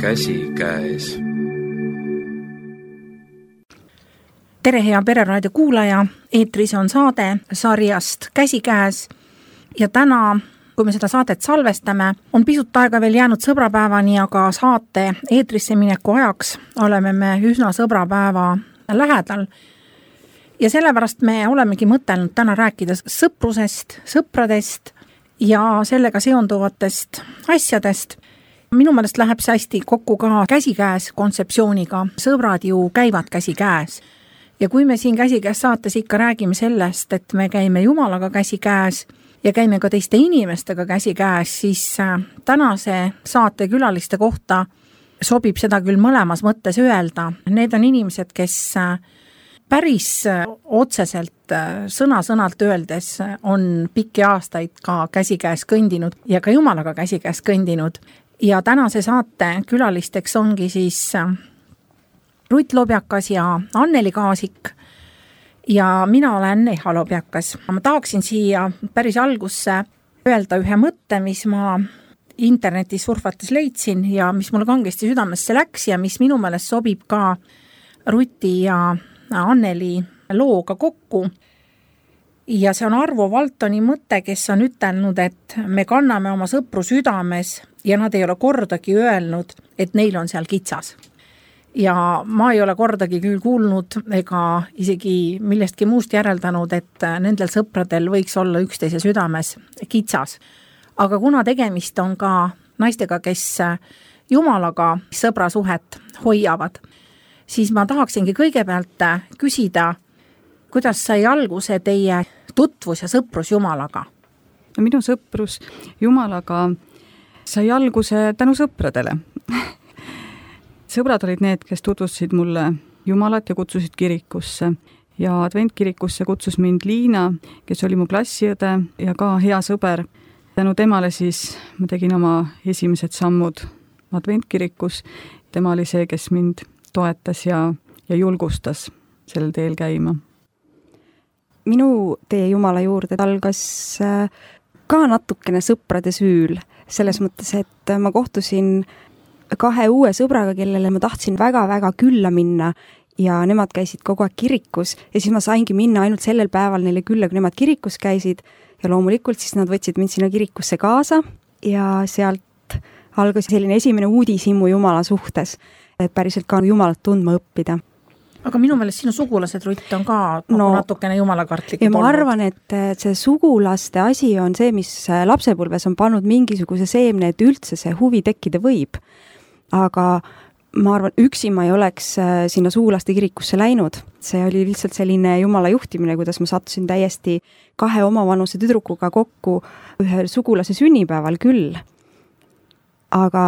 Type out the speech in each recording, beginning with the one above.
Käsikäes. Tere, hea Pereraadio kuulaja, eetris on saade sarjast Käsikäes ja täna, kui me seda saadet salvestame, on pisut aega veel jäänud sõbrapäevani, aga saate eetrisse mineku ajaks oleme me üsna sõbrapäeva lähedal. Ja sellepärast me olemegi mõtelnud täna rääkida sõprusest, sõpradest ja sellega seonduvatest asjadest. Minu meelest läheb see hästi kokku ka käsikäes kontseptsiooniga. Sõbrad ju käivad käsikäes. Ja kui me siin käsikäes saates ikka räägime sellest, et me käime Jumalaga käsikäes ja käime ka teiste inimestega käsikäes, siis tänase saate külaliste kohta sobib seda küll mõlemas mõttes öelda. Need on inimesed, kes päris otseselt sõna-sõnalt öeldes on pikki aastaid ka käsikäes kõndinud ja ka Jumalaga käsikäes kõndinud. Ja tänase saate külalisteks ongi siis Rutt Lobjakas ja Anneli Kaasik ja mina olen Eha Lobjakas. Ma tahaksin siia päris algusse öelda ühe mõtte, mis ma internetis surfates leidsin ja mis mulle kangesti südamesse läks ja mis minu meelest sobib ka Ruti ja Anneli looga kokku. Ja see on Arvo Valtoni mõte, kes on ütelnud, et me kanname oma sõpru südames ja nad ei ole kordagi öelnud, et neil on seal kitsas. Ja ma ei ole kordagi küll kuulnud ega isegi millestki muust järeldanud, et nendel sõpradel võiks olla üksteise südames kitsas. Aga kuna tegemist on ka naistega, kes Jumalaga sõbrasuhet hoiavad, siis ma tahaksingi kõigepealt küsida, kuidas sai alguse teie tutvus ja sõprus Jumalaga? Minu sõprus Jumalaga sai alguse tänu sõpradele. Sõbrad olid need, kes tutvustasid mulle Jumalat ja kutsusid kirikusse. Ja adventkirikusse kutsus mind Liina, kes oli mu klassiõde ja ka hea sõber. Tänu temale siis ma tegin oma esimesed sammud adventkirikus. Tema oli see, kes mind toetas ja julgustas sellel teel käima. Minu tee Jumala juurde algas ka natukene sõprade süül. Selles mõttes, et ma kohtusin 2 uue sõbraga, kellele ma tahtsin väga-väga külla minna ja nemad käisid kogu aeg kirikus ja siis ma saingi minna ainult sellel päeval neile külla, kui nemad kirikus käisid ja loomulikult siis nad võtsid mind sinna kirikusse kaasa ja sealt algas selline esimene uudishimu Jumala suhtes, et päriselt ka Jumalat tundma õppida. Aga minu meelest sinu sugulased, Rutt, on ka natukene jumalakartlik. Ja ma arvan, et see sugulaste asi on see, mis lapsepõlves on pannud mingisuguse seemne, et üldse see huvi tekkida võib. Aga ma arvan, üksi ma ei oleks sinna sugulaste kirikusse läinud. See oli lihtsalt selline Jumala juhtimine, kuidas ma sattusin täiesti 2 omavanuse tüdrukuga kokku ühe sugulase sünnipäeval küll. Aga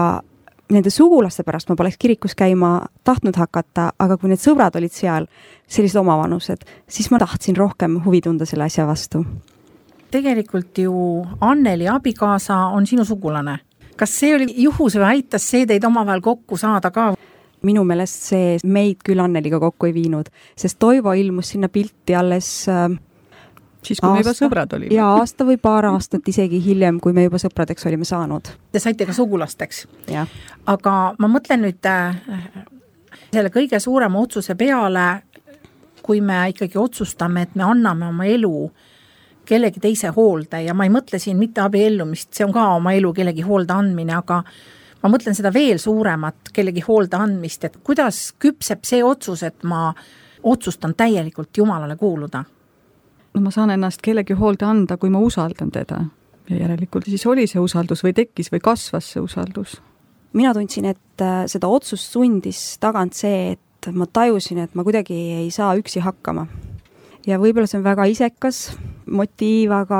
nende sugulaste pärast ma poleks kirikus käima tahtnud hakata, aga kui need sõbrad olid seal, sellised omavanused, siis ma tahtsin rohkem huvi tunda selle asja vastu. Tegelikult ju Anneli abikaasa on sinu sugulane. Kas see oli juhus või aitas see teid omavahel kokku saada ka? Minu meelest see meid küll Anneliga kokku ei viinud, sest Toivo ilmus sinna pilti alles siis kui me juba sõbrad olime. Ja aasta või paar aastat isegi hiljem, kui me juba sõpradeks olime saanud. Te saite ka sugulasteks. Ja. Aga ma mõtlen nüüd selle kõige suurema otsuse peale, kui me ikkagi otsustame, et me anname oma elu kellegi teise hoolde ja ma ei mõtle siin mitte abiellumist, see on ka oma elu kellegi hoolde andmine, aga ma mõtlen seda veel suuremat kellegi hoolde andmist, et kuidas küpseb see otsus, et ma otsustan täielikult Jumalale kuuluda? No ma saan ennast kellegi hoolde anda, kui ma usaldan teda. Ja järelikult siis oli see usaldus või tekkis või kasvas see usaldus. Mina tundsin, et seda otsust sundis tagant see, et ma tajusin, et ma kuidagi ei saa üksi hakkama. Ja võib-olla see on väga isekas motiiv, aga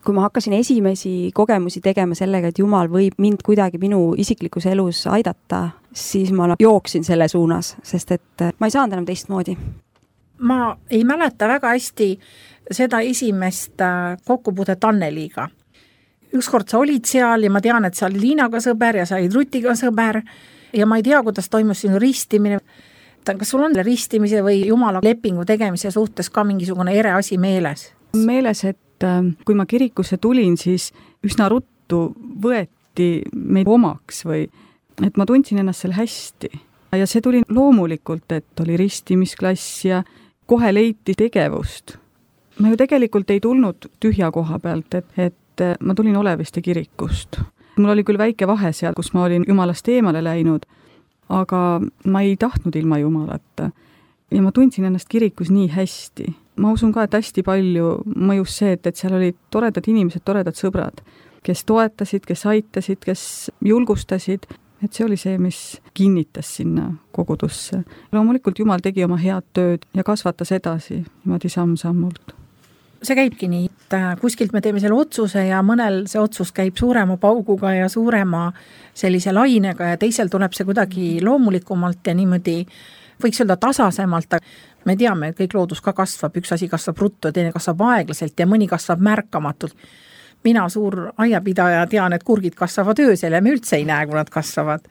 kui ma hakkasin esimesi kogemusi tegema sellega, et Jumal võib mind kuidagi minu isiklikus elus aidata, siis ma jooksin selle suunas, sest et ma ei saanud enam teistmoodi. Ma ei mäleta väga hästi seda esimest kokkupuudet Anneliga. Ükskord sa olid seal ja ma tean, et sa olid Liinaga sõber ja sa olid Rutiga sõber ja ma ei tea, kuidas toimus sinu ristimine. Kas sul on ristimise või Jumala lepingu tegemise suhtes ka mingisugune ere asi meeles? Meeles, et kui ma kirikusse tulin, siis üsna ruttu võeti meid omaks või et ma tundsin ennast seal hästi. Ja see tuli loomulikult, et oli ristimisklass ja kohe leiti tegevust. Ma ju tegelikult ei tulnud tühja koha pealt, et ma tulin Oleviste kirikust. Mul oli küll väike vahe seal, kus ma olin Jumalast eemale läinud, aga ma ei tahtnud ilma Jumalata. Ja ma tundsin ennast kirikus nii hästi. Ma usun ka, et hästi palju mõjus see, et seal olid toredad inimesed, toredad sõbrad, kes toetasid, kes aitasid, kes julgustasid. Et see oli see, mis kinnitas sinna kogudusse. Loomulikult Jumal tegi oma head tööd ja kasvatas edasi niimoodi samm-sammult. See käibki nii, et kuskilt me teeme selle otsuse ja mõnel see otsus käib suurema pauguga ja suurema sellise lainega ja teisel tuleb see kuidagi loomulikumalt ja niimoodi võiks öelda tasasemalt. Me teame, et kõik loodus ka kasvab, üks asi kasvab ruttu, teine kasvab aeglaselt ja mõni kasvab märkamatult. Mina suur aiapidaja tean, et kurgid kasvavad öösel ja me üldse ei näe, kui nad kasvavad.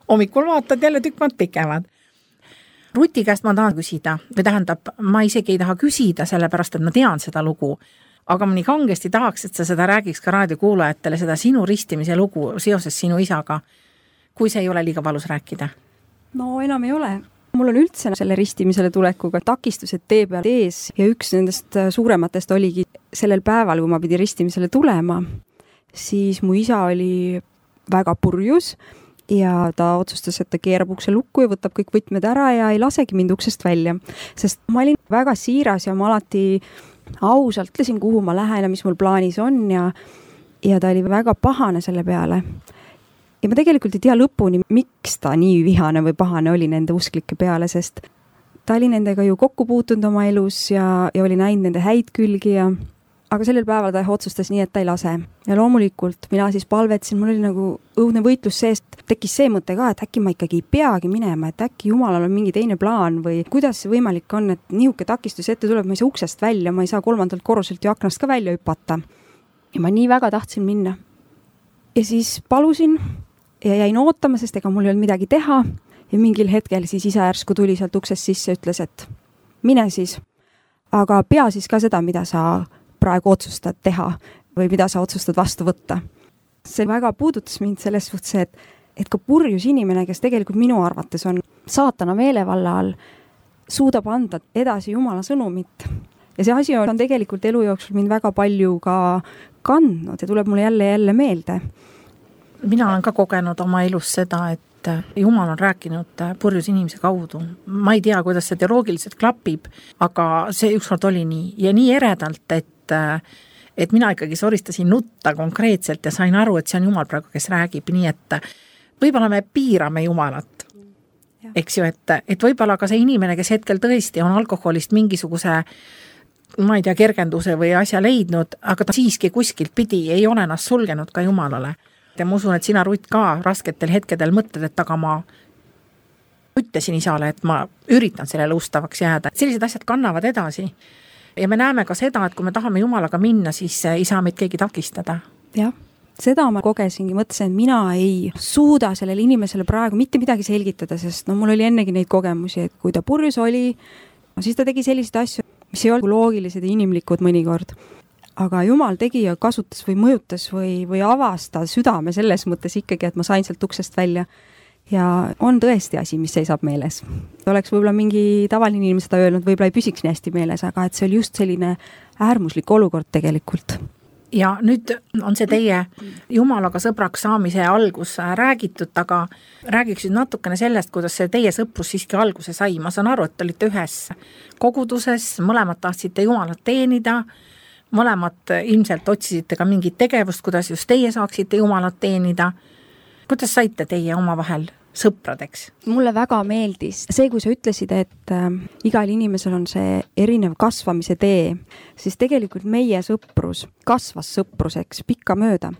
Hommikul vaatad jälle tükk maad pikevad. Ruti käest ma tahan küsida, või tähendab, ma isegi ei taha küsida, sellepärast, et ma tean seda lugu, aga ma nii kangesti tahaks, et sa seda räägiks ka raadiokuulajatele, seda sinu ristimise lugu seoses sinu isaga, kui see ei ole liiga valus rääkida. No enam ei ole. Mul on üldse selle ristimisele tulekuga takistused tee peal ees ja üks nendest suurematest oligi sellel päeval, kui ma pidi ristimisele tulema, siis mu isa oli väga purjus ja ta otsustas, et ta keerab ukse lukku ja võtab kõik võtmed ära ja ei lasegi mind uksest välja, sest ma olin väga siiras ja ma alati ausalt ütlesin, kuhu ma lähen ja mis mul plaanis on ja ta oli väga pahane selle peale. Ja ma tegelikult ei tea lõpuni, miks ta nii vihane või pahane oli nende usklike peale, sest ta oli nendega ju kokku puutunud oma elus ja oli näinud nende häid külgi aga sellel päeval ta otsustas nii, et ta ei lase. Ja loomulikult mina siis palvetsin, mul oli nagu õudne võitlus seest, tekkis see mõte ka, et äkki ma ikkagi ei peagi minema, et äkki Jumalal on mingi teine plaan või kuidas see võimalik on, et nihuke takistus ette tuleb, ma ei saa uksest välja, ma ei saa 3. korruselt ju aknast ka välja hüpata. Ja ma nii väga tahtsin minna. Ja siis palusin ja jäin ootama, sest ega mul ei olnud midagi teha ja mingil hetkel siis isa järsku tuli sealt uksest sisse ja ütles, et mine siis, aga pea siis ka seda, mida sa praegu otsustad teha või mida sa otsustad vastu võtta. See väga puudutas mind selles suhtes, et ka purjus inimene, kes tegelikult minu arvates on saatana meelevalla all, suudab anda edasi Jumala sõnumit. Ja see asi on tegelikult elu jooksul mind väga palju ka kandnud ja tuleb mulle jälle meelde. Mina olen ka kogenud oma elus seda, et Jumal on rääkinud purjus inimese kaudu. Ma ei tea, kuidas see teoloogiliselt klapib, aga see ükskord oli nii ja nii eredalt, et mina ikkagi soristasin nutta konkreetselt ja sain aru, et see on Jumal praegu, kes räägib nii, et võib-olla me piirame Jumalat. Eks ju, et võib-olla ka see inimene, kes hetkel tõesti on alkoholist mingisuguse ma ei tea, kergenduse või asja leidnud, aga ta siiski kuskilt pidi ei ole ennast sulgenud ka Jumalale. Ja ma usun, et sina, Rutt, ka rasketel hetkedel mõtled, et aga ma ütlesin isale, et ma üritan sellele ustavaks jääda. Sellised asjad kannavad edasi. Ja me näeme ka seda, et kui me tahame Jumalaga minna, siis ei saa meid keegi takistada. Jah, seda ma kogesingi, mõtlesin, et mina ei suuda sellele inimesele praegu mitte midagi selgitada, sest mul oli ennegi neid kogemusi, et kui ta purjus oli, siis ta tegi selliseid asju, mis ei olnud loogilised ja inimlikud mõnikord. Aga Jumal tegi ja kasutas või mõjutas või avas ta südame selles mõttes ikkagi, et ma sain sealt uksest välja. Ja on tõesti asi, mis seisab meeles. Oleks võib-olla mingi tavaline inimene seda öelnud, võib-olla ei püsiks nii hästi meeles, aga et see oli just selline äärmuslik olukord tegelikult. Ja nüüd on see teie Jumalaga sõbraks saamise algus räägitud, aga räägiks nüüd natukene sellest, kuidas see teie sõprus siiski alguse sai. Ma saan aru, et olite ühes koguduses, mõlemad tahtsite Jumalat teenida, mõlemad ilmselt otsisite ka mingit tegevust, kuidas just teie saaksite Jumalat teenida. Kuidas saite teie omavahel sõpradeks? Mulle väga meeldis see, kui sa ütlesid, et igal inimesel on see erinev kasvamise tee, siis tegelikult meie sõprus kasvas sõpruseks pikka mööda,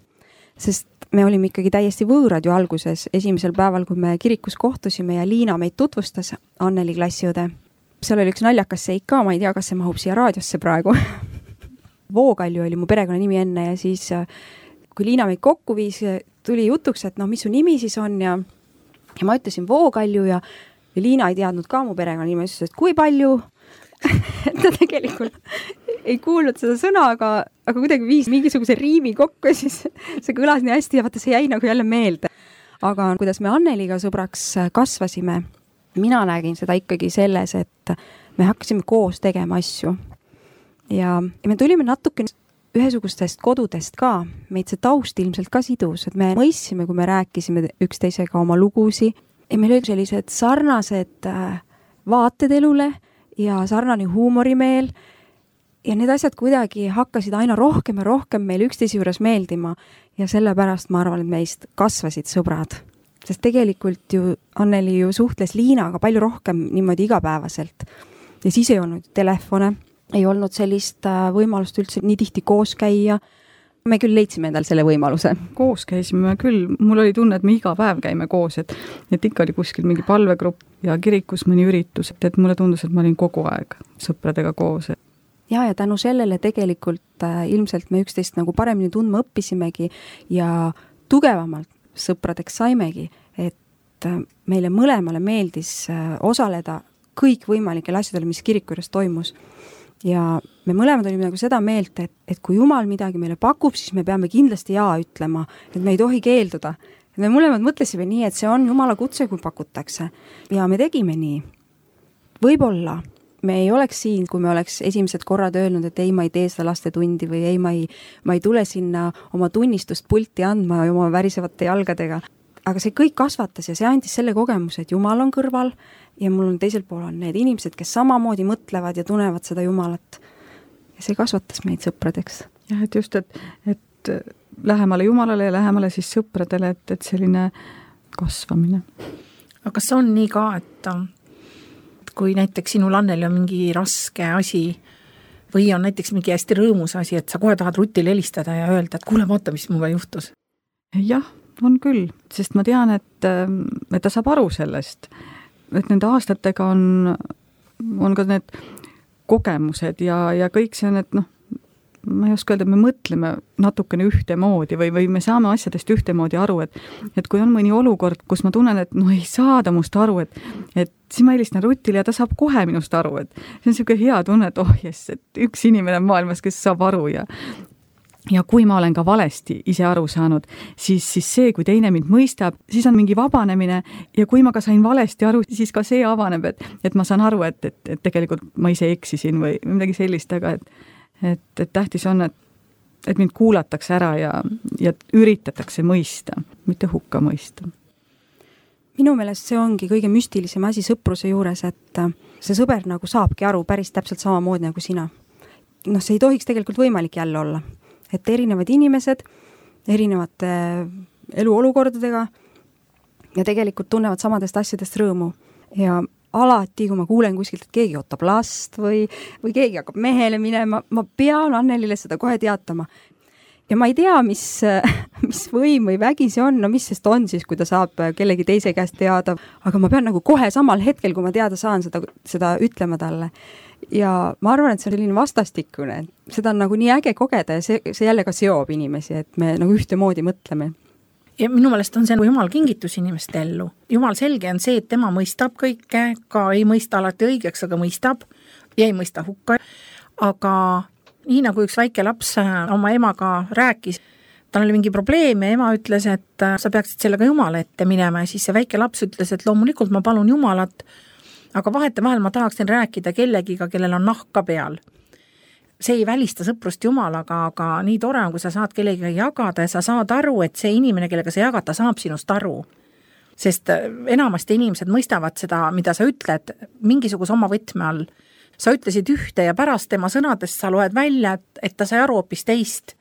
sest me olime ikkagi täiesti võõrad ju alguses esimesel päeval, kui me kirikus kohtusime ja Liina meid tutvustas, Anneli klassiõde. Seal oli üks naljakas seik ka, ma ei tea, kas see mahub siia raadiosse praegu. Vookalju oli mu perekonna nimi enne ja siis kui Liina meid kokku viis, tuli jutuks, et mis su nimi siis on ja ma ütlesin Vookalju ja Liina ei teadnud ka mu perekonna nimi, ütles, et kui palju ta tegelikult ei kuulnud seda sõna, aga kuidagi viis mingisuguse riimi kokku ja siis see kõlas nii hästi ja vaata, see jäi nagu jälle meelde. aga kuidas me Anneliga sõbraks kasvasime, mina nägin seda ikkagi selles, et me hakkasime koos tegema asju. Ja me tulime natuke ühesugustest kodudest ka, meid see taust ilmselt ka sidus, et me mõistsime, kui me rääkisime üksteisega oma lugusi ja meil olid sellised sarnased vaated elule ja sarnane huumorimeel ja need asjad kuidagi hakkasid aina rohkem ja rohkem meil üksteise juures meeldima ja sellepärast ma arvan, et meist kasvasid sõbrad. Sest tegelikult ju Anneli ju suhtles Liinaga palju rohkem niimoodi igapäevaselt ja siis ei olnud telefone, ei olnud sellist võimalust üldse nii tihti koos käia. Me küll leidsime endal selle võimaluse. Koos käisime küll, mul oli tunne, et me iga päev käime koos, et ikka oli kuskil mingi palvegrupp ja kirikus mõni üritus, et mulle tundus, et ma olin kogu aeg sõpradega koos. Ja tänu sellele tegelikult ilmselt me üksteist nagu paremini tundma õppisimegi ja tugevamalt sõpradeks saimegi, et meile mõlemale meeldis osaleda kõik võimalikel asjadel, mis kiriku juures toimus. Ja me mõlemad olime nagu seda meelt, et kui Jumal midagi meile pakub, siis me peame kindlasti jaa ütlema, et me ei tohi keelduda. Et me mõlemad mõtlesime nii, et see on Jumala kutse, kui pakutakse. Ja me tegime nii. Võib-olla me ei oleks siin, kui me oleks esimesed korrad öelnud, et ei, ma ei tee seda lastetundi või ei, ma ei tule sinna oma tunnistust pulti andma oma värisevate jalgadega. Aga see kõik kasvatas ja see andis selle kogemuse, et Jumal on kõrval ja mul on teisel pool on need inimesed, kes samamoodi mõtlevad ja tunevad seda Jumalat. Ja see kasvatas meid sõpradeks. Jah, et just, et lähemale Jumalale ja lähemale siis sõpradele, et selline kasvamine. Aga kas on nii ka, et kui näiteks sinul Anneli on mingi raske asi või on näiteks mingi hästi rõõmus asi, et sa kohe tahad Rutile helistada ja öelda, et kuule, vaata, mis mulle juhtus? Jah, on küll, sest ma tean, et ta saab aru sellest, et nende aastatega on ka need kogemused ja kõik see on, et ma ei oska öelda, me mõtleme natukene ühtemoodi või me saame asjadest ühtemoodi aru, et kui on mõni olukord, kus ma tunnen, et ei saada must aru, et siis ma helistan Rutile ja ta saab kohe minust aru, et see on selline hea tunne, et et üks inimene maailmas, kes saab aru ja kui ma olen ka valesti ise aru saanud, siis see, kui teine mind mõistab, siis on mingi vabanemine ja kui ma ka sain valesti aru, siis ka see avaneb, et ma saan aru, et tegelikult ma ise eksisin või midagi sellist, aga et tähtis on, et mind kuulatakse ära ja üritatakse mõista, mitte hukka mõista. Minu meelest see ongi kõige müstilisem asi sõpruse juures, et see sõber nagu saabki aru päris täpselt samamoodi nagu sina. See ei tohiks tegelikult võimalik jälle olla. Et erinevad inimesed, erinevate eluolukordadega ja tegelikult tunnevad samadest asjadest rõõmu. Ja alati, kui ma kuulen kuskilt, et keegi ootab last või keegi hakkab mehele minema, ma pean Annelile seda kohe teatama. Ja ma ei tea, mis võim või vägi see on, mis sest on siis, kui ta saab kellegi teise käest teada, aga ma pean nagu kohe samal hetkel, kui ma teada saan seda ütlema talle. Ja ma arvan, et see on selline vastastikune, seda on nagu nii äge kogeda ja see jälle ka seob inimesi, et me nagu ühtemoodi mõtleme. Ja minu meelest on see Jumal kingitus inimeste ellu. Jumal selge on see, et tema mõistab kõike, ka ei mõista alati õigeks, aga mõistab ja ei mõista hukka. Aga nii nagu üks väike laps oma emaga rääkis, tal oli mingi probleem ja ema ütles, et sa peaksid sellega Jumala ette minema ja siis see väike laps ütles, et loomulikult ma palun Jumalat, aga vahetevahel ma tahaksin rääkida kellegiga, kellel on nahka peal. See ei välista sõprust Jumalaga, aga nii tore on, kui sa saad kellegiga jagada ja sa saad aru, et see inimene, kellega sa jagad, ta saab sinust aru. Sest enamasti inimesed mõistavad seda, mida sa ütled mingisuguse oma võtme all. Sa ütlesid ühte ja pärast tema sõnadest sa loed välja, et ta sai aru hoopis teist.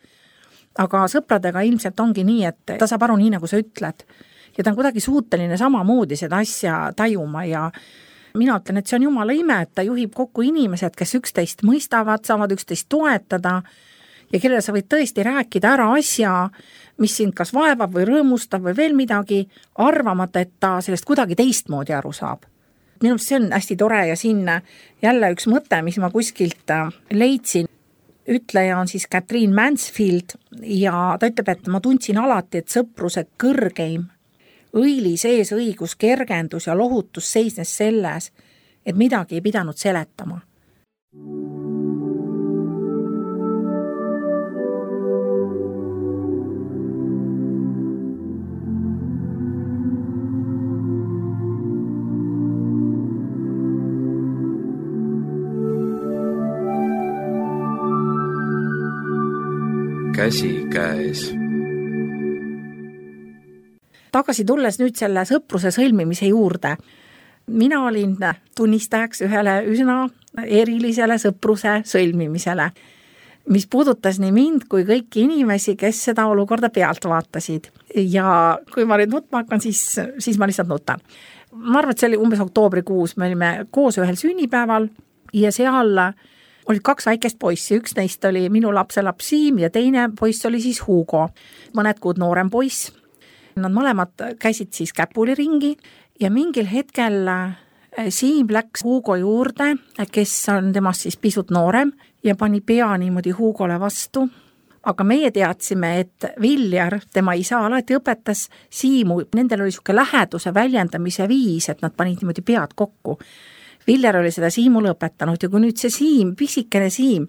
Aga sõpradega ilmselt ongi nii, et ta saab aru nii, nagu sa ütled. Ja ta on kuidagi suuteline samamoodi seda asja tajuma ja mina ütlen, et see on Jumala ime, et ta juhib kokku inimesed, kes üksteist mõistavad, saavad üksteist toetada ja kellele sa võid tõesti rääkida ära asja, mis sind kas vaevab või rõõmustab või veel midagi, arvamata, et ta sellest kuidagi teistmoodi aru saab. Minu see on hästi tore ja siin jälle üks mõte, mis ma kuskilt leidsin. Ütleja on siis Catherine Mansfield ja ta ütleb, et ma tundsin alati, et sõpruse kõrgeim õilis ees õigus, kergendus ja lohutus seisnes selles, et midagi ei pidanud seletama. käsikäes. Tagasi tulles nüüd selle sõpruse sõlmimise juurde. Mina olin tunnistajaks ühele üsna erilisele sõpruse sõlmimisele, mis puudutas nii mind kui kõiki inimesi, kes seda olukorda pealt vaatasid. Ja kui ma nüüd nutma hakkan, siis ma lihtsalt nutan. Ma arvan, et see oli umbes oktoobrikuus, me olime koos ühel sünnipäeval ja seal olid 2 väikest poissi, üks neist oli minu lapselaps Siim ja teine poiss oli siis Hugo, mõned kuud noorem poiss. Nad mõlemad käisid siis käpuliringi ja mingil hetkel Siim läks Hugo juurde, kes on temast siis pisut noorem ja pani pea niimoodi Hugole vastu. Aga meie teadsime, et Viljar, tema isa, alati õpetas Siimu, nendel oli siuke läheduse väljendamise viis, et nad panid niimoodi pead kokku. Viljar oli seda Siimule õpetanud ja kui nüüd see Siim, pisikene Siim,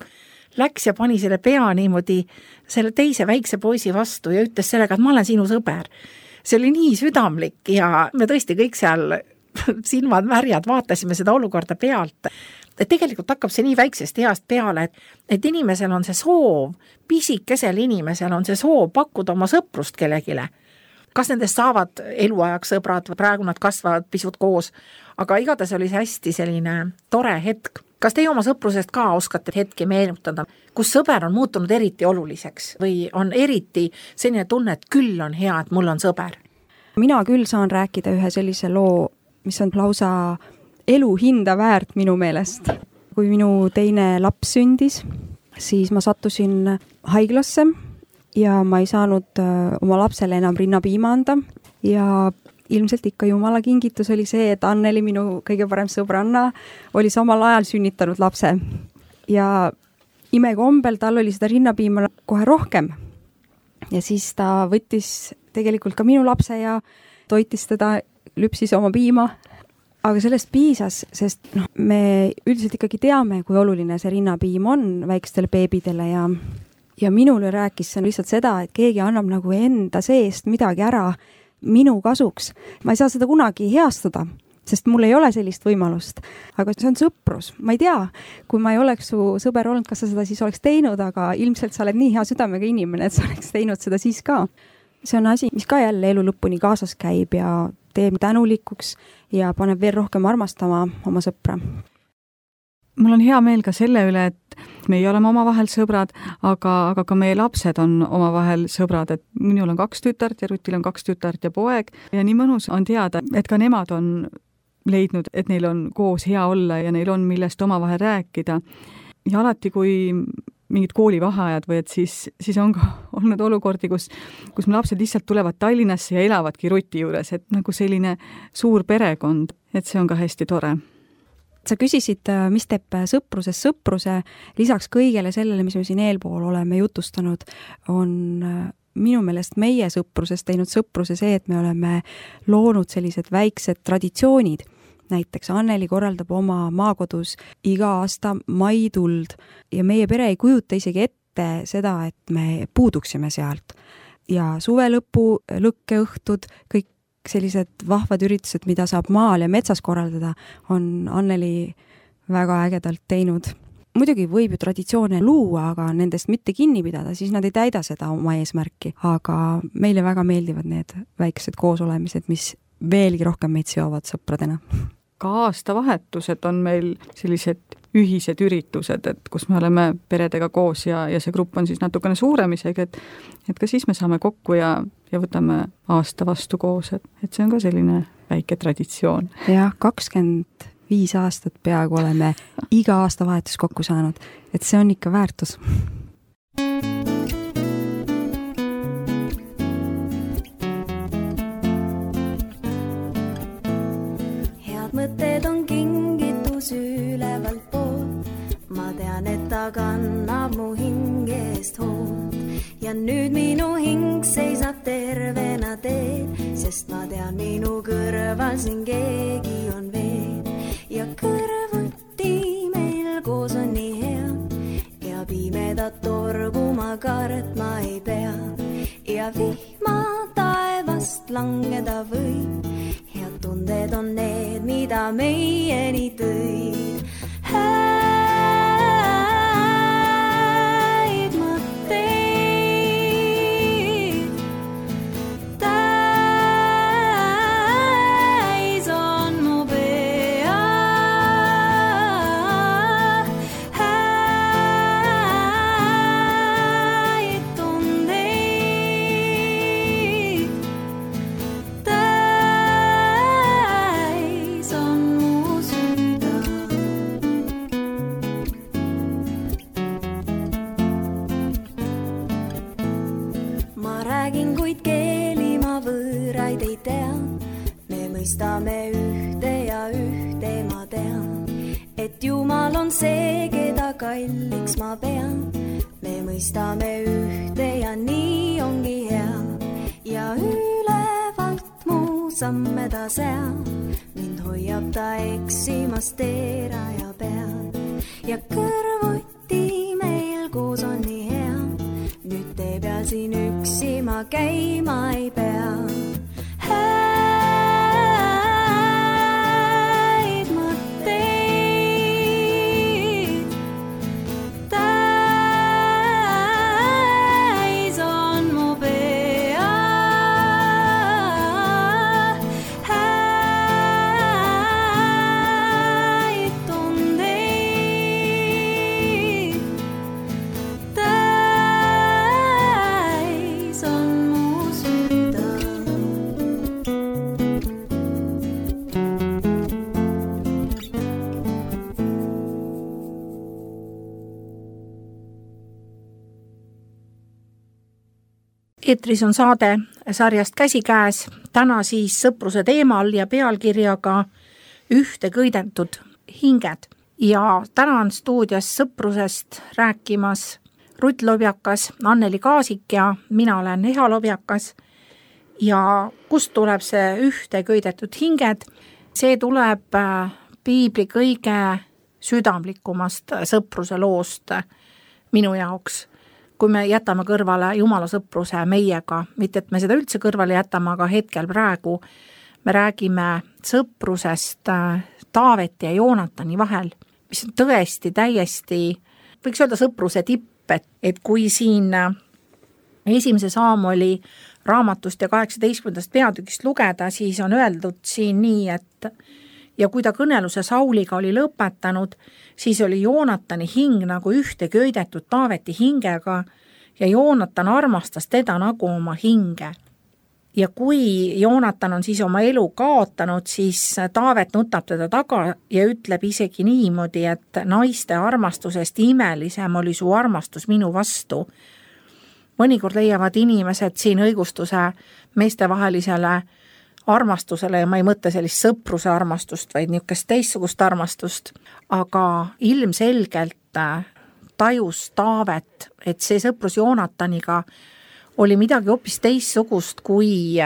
läks ja pani selle pea niimoodi selle teise väikse poisi vastu ja ütles sellega, et ma olen sinu sõber. See oli nii südamlik ja me tõesti kõik seal silmad märjad vaatasime seda olukorda pealt. Et tegelikult hakkab see nii väiksest east peale, et inimesel on see soov, pisikesel inimesel on see soov pakkuda oma sõprust kellegile. Kas nendest saavad eluajaks sõbrad, praegu nad kasvavad pisut koos, aga igatahes oli see hästi selline tore hetk. Kas teie oma sõprusest ka oskate hetki meenutada, kus sõber on muutunud eriti oluliseks või on eriti selline tunne, et küll on hea, et mul on sõber? Mina küll saan rääkida ühe sellise loo, mis on lausa elu hinda väärt minu meelest. Kui minu teine laps sündis, siis ma sattusin haiglasse ja ma ei saanud oma lapsele enam rinnapiima anda ja ilmselt ikka jumala kingitus oli see, et Anneli, minu kõige parem sõbranna, oli samal ajal sünnitanud lapse. Ja imekombel tal oli seda rinnapiima kohe rohkem. Ja siis ta võttis tegelikult ka minu lapse ja toitis teda, lüpsis oma piima. Aga sellest piisas, sest me üldiselt ikkagi teame, kui oluline see rinnapiim on väikestele beebidele ja minule rääkis see lihtsalt seda, et keegi annab nagu enda seest midagi ära minu kasuks. Ma ei saa seda kunagi heastada, sest mul ei ole sellist võimalust. Aga see on sõprus. Ma ei tea, kui ma ei oleks su sõber olnud, kas sa seda siis oleks teinud, aga ilmselt sa oled nii hea südamega inimene, et sa oleks teinud seda siis ka. See on asi, mis ka jälle elu lõpuni kaasas käib ja teeb tänulikuks ja paneb veel rohkem armastama oma sõpra. Mul on hea meel ka selle üle, et me ei ole omavahel sõbrad, aga ka meie lapsed on omavahel sõbrad, et minul on 2 tütart ja Rutil on 2 tütart ja poeg ja nii mõnus on teada, et ka nemad on leidnud, et neil on koos hea olla ja neil on millest omavahel rääkida. Ja alati, kui mingid koolivaheajad või et siis on ka olnud olukordi, kus me lapsed lihtsalt tulevad Tallinnasse ja elavadki Ruti juures, et nagu selline suur perekond, et see on ka hästi tore. Sa küsisid, mis teeb sõprusest sõpruse, lisaks kõigele sellele, mis me siin eelpool oleme jutustanud, on minu meelest meie sõprusest teinud sõpruse see, et me oleme loonud sellised väiksed traditsioonid. Näiteks Anneli korraldab oma maakodus iga aasta maituld ja meie pere ei kujuta isegi ette seda, et me puuduksime sealt. Ja suvelõpu lõkkeõhtud, kõik sellised vahvad üritused, mida saab maal ja metsas korraldada, on Anneli väga ägedalt teinud. Muidugi võib ju traditsioone luua, aga nendest mitte kinni pidada, siis nad ei täida seda oma eesmärki. Aga meile väga meeldivad need väiksed koosolemised, mis veelgi rohkem meid seovad sõpradena. Ka aastavahetused on meil sellised ühised üritused, et kus me oleme peredega koos ja see grupp on siis natukene suurem isegi, et ka siis me saame kokku ja võtame aasta vastu koos, et see on ka selline väike traditsioon. Ja 25 aastat peaaegu oleme iga aastavahetus kokku saanud, et see on ikka väärtus. Mõtted on kingitus ülevalt poolt, ma tean, et ta kannab mu hingest hoolt ja nüüd minu hing seisab tervena teel, sest ma tean, minu kõrval siin keegi on veel ja kõrvuti meil koos on nii hea ja pimedat torgu ma kartma ei pea ja vihma taevast langeda võib. Tunded on need, mida meieni tõid. Häid mõtteid mõistame ühte ja ühte ma tean, et Jumal on see, keda kalliks ma pean. Me mõistame ühte ja nii ongi hea ja ülevalt mu samme ta seab. Mind hoiab ta eksimast teeraja peal ja kõrvuti meil koos on nii hea. Nüüd te peal siin üksi ma käima ei pea. Häid mõtteid täis on mu pea. Häid tundeid täis on mu süda. Eetris on saade sarjast Käsikäes, täna siis sõpruse teemal ja pealkirjaga Ühte köidetud hinged. Ja täna on stuudios sõprusest rääkimas Rutt Lobjakas, Anneli Kaasik ja mina olen Eha Lobjakas. Ja kust tuleb see Ühte köidetud hinged? See tuleb piibli kõige südamlikumast sõpruse loost minu jaoks. Kui me jätame kõrvale Jumala sõpruse meiega, mitte et me seda üldse kõrvale jätame, aga hetkel praegu me räägime sõprusest Taaveti ja Joonatani vahel, mis on tõesti täiesti, võiks öelda sõpruse tipp, et kui siin esimese Saamoli raamatust ja 18. peatükist lugeda, siis on öeldud siin nii, et ja kui ta kõneluse Sauliga oli lõpetanud, siis oli Joonatani hing nagu ühte köidetud Taaveti hingega ja Joonatan armastas teda nagu oma hinge. Ja kui Joonatan on siis oma elu kaotanud, siis Taavet nutab teda taga ja ütleb isegi niimoodi, et naiste armastusest imelisem oli su armastus minu vastu. Mõnikord leiavad inimesed siin õigustuse meestevahelisele armastusele ja ma ei mõtle sellist sõpruse armastust, vaid niisugust teistsugust armastust, aga ilmselgelt tajus Taavet, et see sõprus Joonataniga oli midagi hoopis teistsugust kui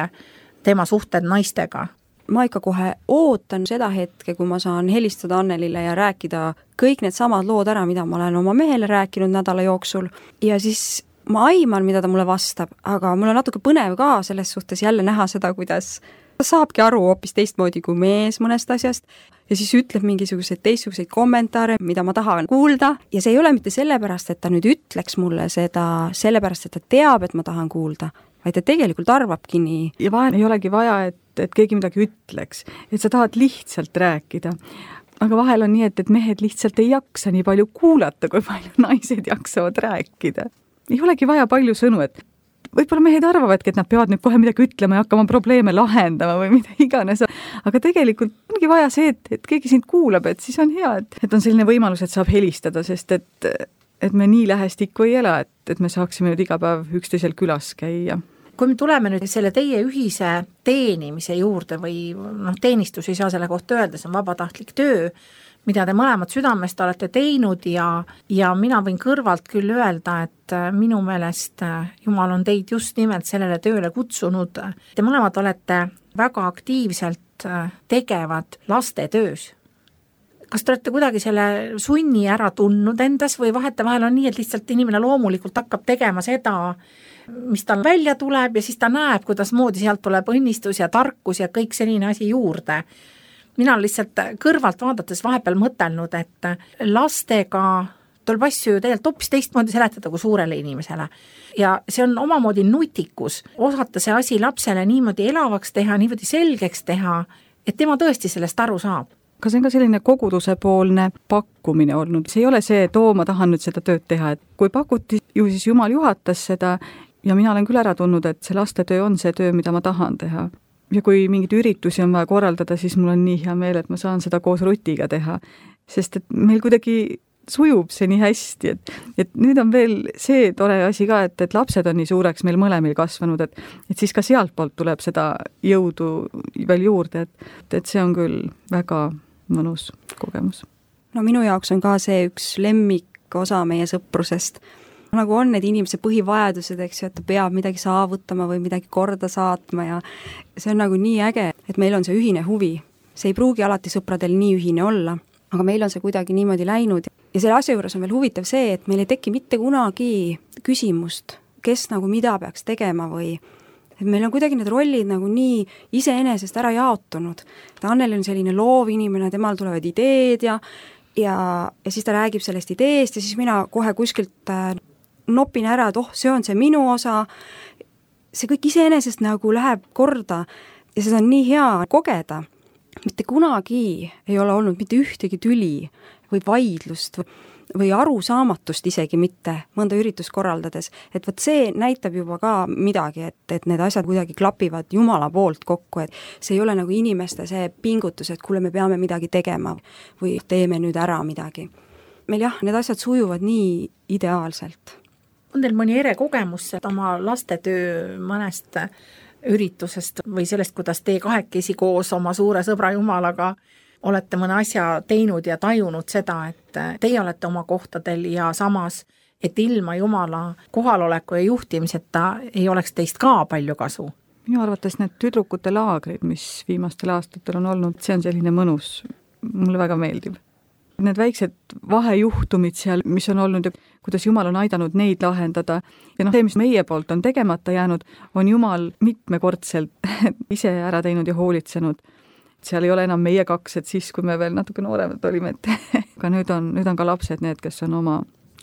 tema suhted naistega. Ma ikka kohe ootan seda hetke, kui ma saan helistada Annelile ja rääkida kõik need samad lood ära, mida ma olen oma mehele rääkinud nädala jooksul ja siis ma aiman, mida ta mulle vastab, aga mul on natuke põnev ka selles suhtes jälle näha seda, kuidas ta saabki aru hoopis teistmoodi kui mees mõnest asjast ja siis ütleb mingisuguseid teistsuguseid kommentaare, mida ma tahan kuulda ja see ei ole mitte sellepärast, et ta nüüd ütleks mulle seda, sellepärast, et ta teab, et ma tahan kuulda, vaid ta tegelikult arvabki nii. Ja vahel ei olegi vaja, et keegi midagi ütleks, et sa tahad lihtsalt rääkida. Aga vahel on nii, et mehed lihtsalt ei jaksa nii palju kuulata, kui palju naised jaksavad rääkida. Ei olegi vaja palju sõnu, et võib-olla mehed arvavadki, et nad peavad nüüd kohe midagi ütlema ja hakkama probleeme lahendama või mida iganes. Aga tegelikult ongi vaja see, et keegi sind kuulab, et siis on hea, et on selline võimalus, et saab helistada, sest et me nii lähestikku ei ela, et me saaksime nüüd iga päev üksteisel külas käia. Kui me tuleme nüüd selle teie ühise teenimise juurde või teenistus ei saa selle kohta öelda, see on vabatahtlik töö, mida te mõlemad südamest olete teinud ja mina võin kõrvalt küll öelda, et minu meelest Jumal on teid just nimelt sellele tööle kutsunud. Te mõlemad olete väga aktiivselt tegevad lastetöös. Kas te olete kuidagi selle sunni ära tundnud endas või vahetevahel on nii, et lihtsalt inimene loomulikult hakkab tegema seda, mis tal välja tuleb ja siis ta näeb, kuidas moodi sealt tuleb õnnistus ja tarkus ja kõik selline asi juurde. Mina olen lihtsalt kõrvalt vaadates vahepeal mõtelnud, et lastega tuleb asju ju tegelikult hoopis teistmoodi seletada kui suurele inimesele. Ja see on omamoodi nutikus, osata see asi lapsele niimoodi elavaks teha, niimoodi selgeks teha, et tema tõesti sellest aru saab. Aga see on ka selline koguduse poolne pakkumine olnud. See ei ole see, et ma tahan nüüd seda tööd teha, et kui pakuti, ju siis Jumal juhatas seda ja mina olen küll ära tundnud, et see lastetöö on see töö, mida ma tahan teha. Ja kui mingid üritusi on vaja korraldada, siis mul on nii hea meel, et ma saan seda koos Rutiga teha. Sest et meil kuidagi sujub see nii hästi, et nüüd on veel see tore asi ka, et lapsed on nii suureks meil mõlemil kasvanud, et siis ka sealt poolt tuleb seda jõudu veel juurde, et see on küll väga mõnus kogemus. No minu jaoks on ka see üks lemmikosa meie sõprusest. Nagu on need inimese põhivajadused, eks ju, et ta peab midagi saavutama või midagi korda saatma ja see on nagu nii äge, et meil on see ühine huvi. See ei pruugi alati sõpradel nii ühine olla, aga meil on see kuidagi niimoodi läinud. Ja selle asja juures on veel huvitav see, et meil ei teki mitte kunagi küsimust, kes nagu mida peaks tegema või et meil on kuidagi need rollid nagu nii iseenesest ära jaotunud. Anneli on selline loov inimene, temal tulevad ideed ja siis ta räägib sellest ideest ja siis mina kohe kuskilt nopin ära, et see on see minu osa. See kõik iseenesest nagu läheb korda ja seda on nii hea kogeda. Mitte kunagi ei ole olnud mitte ühtegi tüli või vaidlust või arusaamatust isegi mitte mõnda üritust korraldades. Et võt see näitab juba ka midagi, et need asjad kuidagi klapivad Jumala poolt kokku, et see ei ole nagu inimeste see pingutus, et kuule, me peame midagi tegema või teeme nüüd ära midagi. Meil jah, need asjad sujuvad nii ideaalselt. On teil mõni erekogemus oma lastetöö mõnest üritusest või sellest, kuidas te kahekesi koos oma suure sõbra Jumalaga olete mõne asja teinud ja tajunud seda, et teie olete oma kohtadel ja samas, et ilma Jumala kohaloleku ja juhtimiseta ei oleks teist ka palju kasu? Minu arvates need tüdrukute laagrid, mis viimastel aastatel on olnud, see on selline mõnus, mulle väga meeldib. Need väiksed vahejuhtumid seal, mis on olnud ja kuidas Jumal on aidanud neid lahendada ja see, mis meie poolt on tegemata jäänud, on Jumal mitmekordselt ise ära teinud ja hoolitsenud. Seal ei ole enam meie kaks, et siis, kui me veel natuke nooremad olime, aga nüüd on ka lapsed need, kes on oma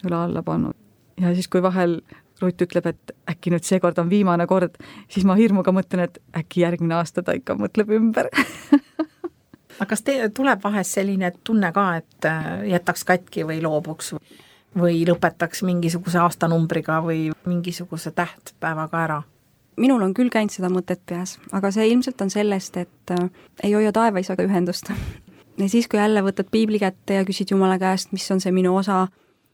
üle alla pannud. Ja siis, kui vahel Rutt ütleb, et äkki nüüd seekord on viimane kord, siis ma hirmuga mõtlen, et äkki järgmine aasta ta ikka mõtleb ümber. Aga kas tuleb vahest selline tunne ka, et jätaks katki või loobuks või lõpetaks mingisuguse aastanumbriga või mingisuguse tähtpäevaga ära? Minul on küll käinud seda mõtet peas, aga see ilmselt on sellest, et ei hoia taevaisaga ühendust. Ja siis, kui jälle võtad piibli kätte ja küsid Jumala käest, mis on see minu osa,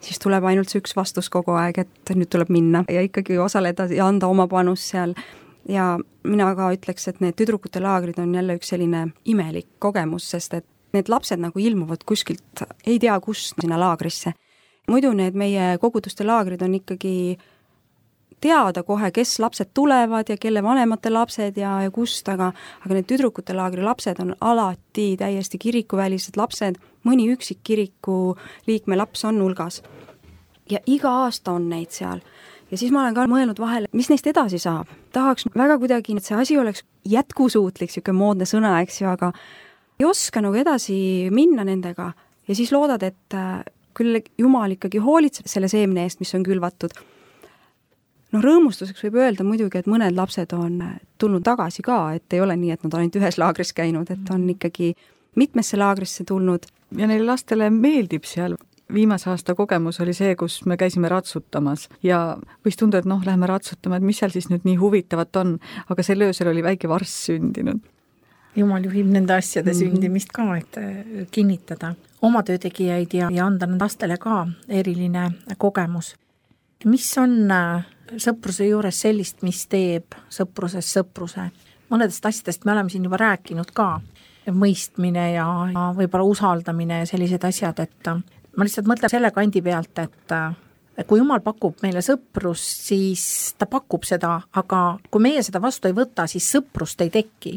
siis tuleb ainult see üks vastus kogu aeg, et nüüd tuleb minna ja ikkagi osaleda ja anda oma panus seal. Ja mina ka ütleks, et need tüdrukute laagrid on jälle üks selline imelik kogemus, sest et need lapsed nagu ilmuvad kuskilt, ei tea kust sinna laagrisse. Muidu need meie koguduste laagrid on ikkagi teada kohe, kes lapsed tulevad ja kelle vanemate lapsed ja kust, aga need tüdrukute laagri lapsed on alati täiesti kirikuvälised lapsed, mõni üksik kiriku liikme laps on hulgas. Ja iga aasta on neid seal. Ja siis ma olen ka mõelnud vahel, mis neist edasi saab. Tahaks väga kuidagi, et see asi oleks jätkusuutlik, siuke moodne sõna, eks ju, aga ei oska nagu edasi minna nendega ja siis loodad, et küll Jumal ikkagi hoolitseb selle seemne eest, mis on külvatud. No rõõmustuseks võib öelda muidugi, et mõned lapsed on tulnud tagasi ka, et ei ole nii, et nad on ainult ühes laagris käinud, et on ikkagi mitmesse laagrisse tulnud. Ja neile lastele meeldib seal. Viimase aasta kogemus oli see, kus me käisime ratsutamas ja võis tunda, et läheme ratsutama, et mis seal siis nüüd nii huvitavat on, aga selle öösel oli väike varss sündinud. Jumal juhib nende asjade sündimist ka, et kinnitada oma töötegijaid ja anda lastele ka eriline kogemus. Mis on sõpruse juures sellist, mis teeb sõpruses sõpruse? Mõnedest asjadest me oleme siin juba rääkinud ka, mõistmine ja võib-olla usaldamine ja sellised asjad, et ma lihtsalt mõtlen selle kandi pealt, et kui Jumal pakub meile sõprust, siis ta pakub seda, aga kui meie seda vastu ei võta, siis sõprust ei teki.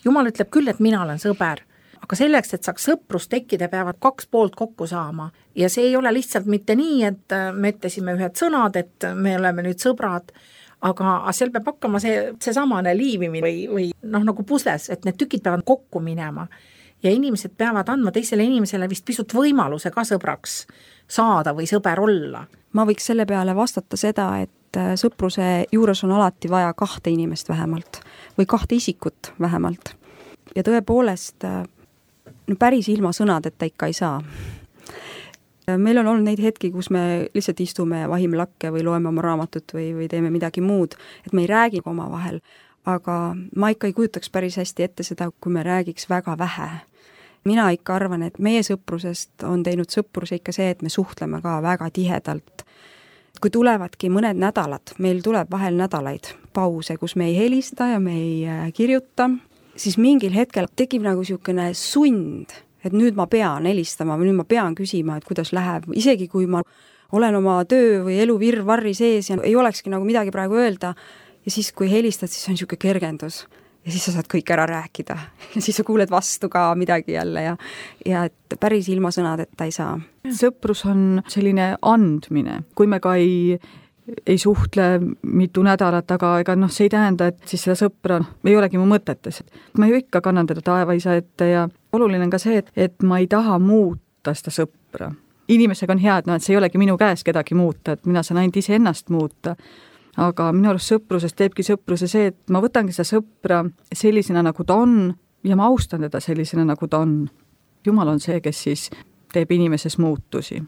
Jumal ütleb küll, et mina olen sõber, aga selleks, et saaks sõprust tekkida, peavad kaks poolt kokku saama. Ja see ei ole lihtsalt mitte nii, et me ütlesime ühed sõnad, et me oleme nüüd sõbrad, aga seal peab hakkama see samane liivimine või nagu pusles, et need tükid peavad kokku minema. Ja inimesed peavad andma teisele inimesele vist pisut võimaluse ka sõbraks saada või sõber olla. Ma võiks selle peale vastata seda, et sõpruse juures on alati vaja 2 inimest vähemalt või 2 isikut vähemalt. Ja tõepoolest päris ilma sõnadeta ikka ei saa. Meil on olnud neid hetki, kus me lihtsalt istume ja vahime lakke või loeme oma raamatut või teeme midagi muud, et me ei räägi oma vahel. Aga ma ikka ei kujutaks päris hästi ette seda, kui me räägiks väga vähe. mina ikka arvan, et meie sõprusest on teinud sõpruse ikka see, et me suhtleme ka väga tihedalt. Kui tulevadki mõned nädalad, meil tuleb vahel nädalaid pause, kus me ei helista ja me ei kirjuta, siis mingil hetkel tekib nagu niisugune sund, et nüüd ma pean helistama või nüüd ma pean küsima, et kuidas läheb, isegi kui ma olen oma töö või elu virvarri sees ja ei olekski nagu midagi praegu öelda ja siis, kui helistad, siis on niisugune kergendus. Ja siis sa saad kõik ära rääkida ja siis sa kuuled vastu ka midagi jälle ja et päris ilma sõnadeta ei saa. Sõprus on selline andmine, kui me ka ei suhtle mitu nädalat, aga ega see ei tähenda, et siis seda sõpra ei olegi mu mõtetes. Ma ju ikka kannan teda taevaisa ette ja oluline on ka see, et ma ei taha muuta seda sõpra. Inimesega on hea, et see ei olegi minu käes kedagi muuta, et mina saan ainult iseennast muuta. Aga minu arust sõprusest teebki sõpruse see, et ma võtangi seda sõpra sellisena, nagu ta on ja ma austan teda sellisena, nagu ta on. Jumal on see, kes siis teeb inimeses muutusi.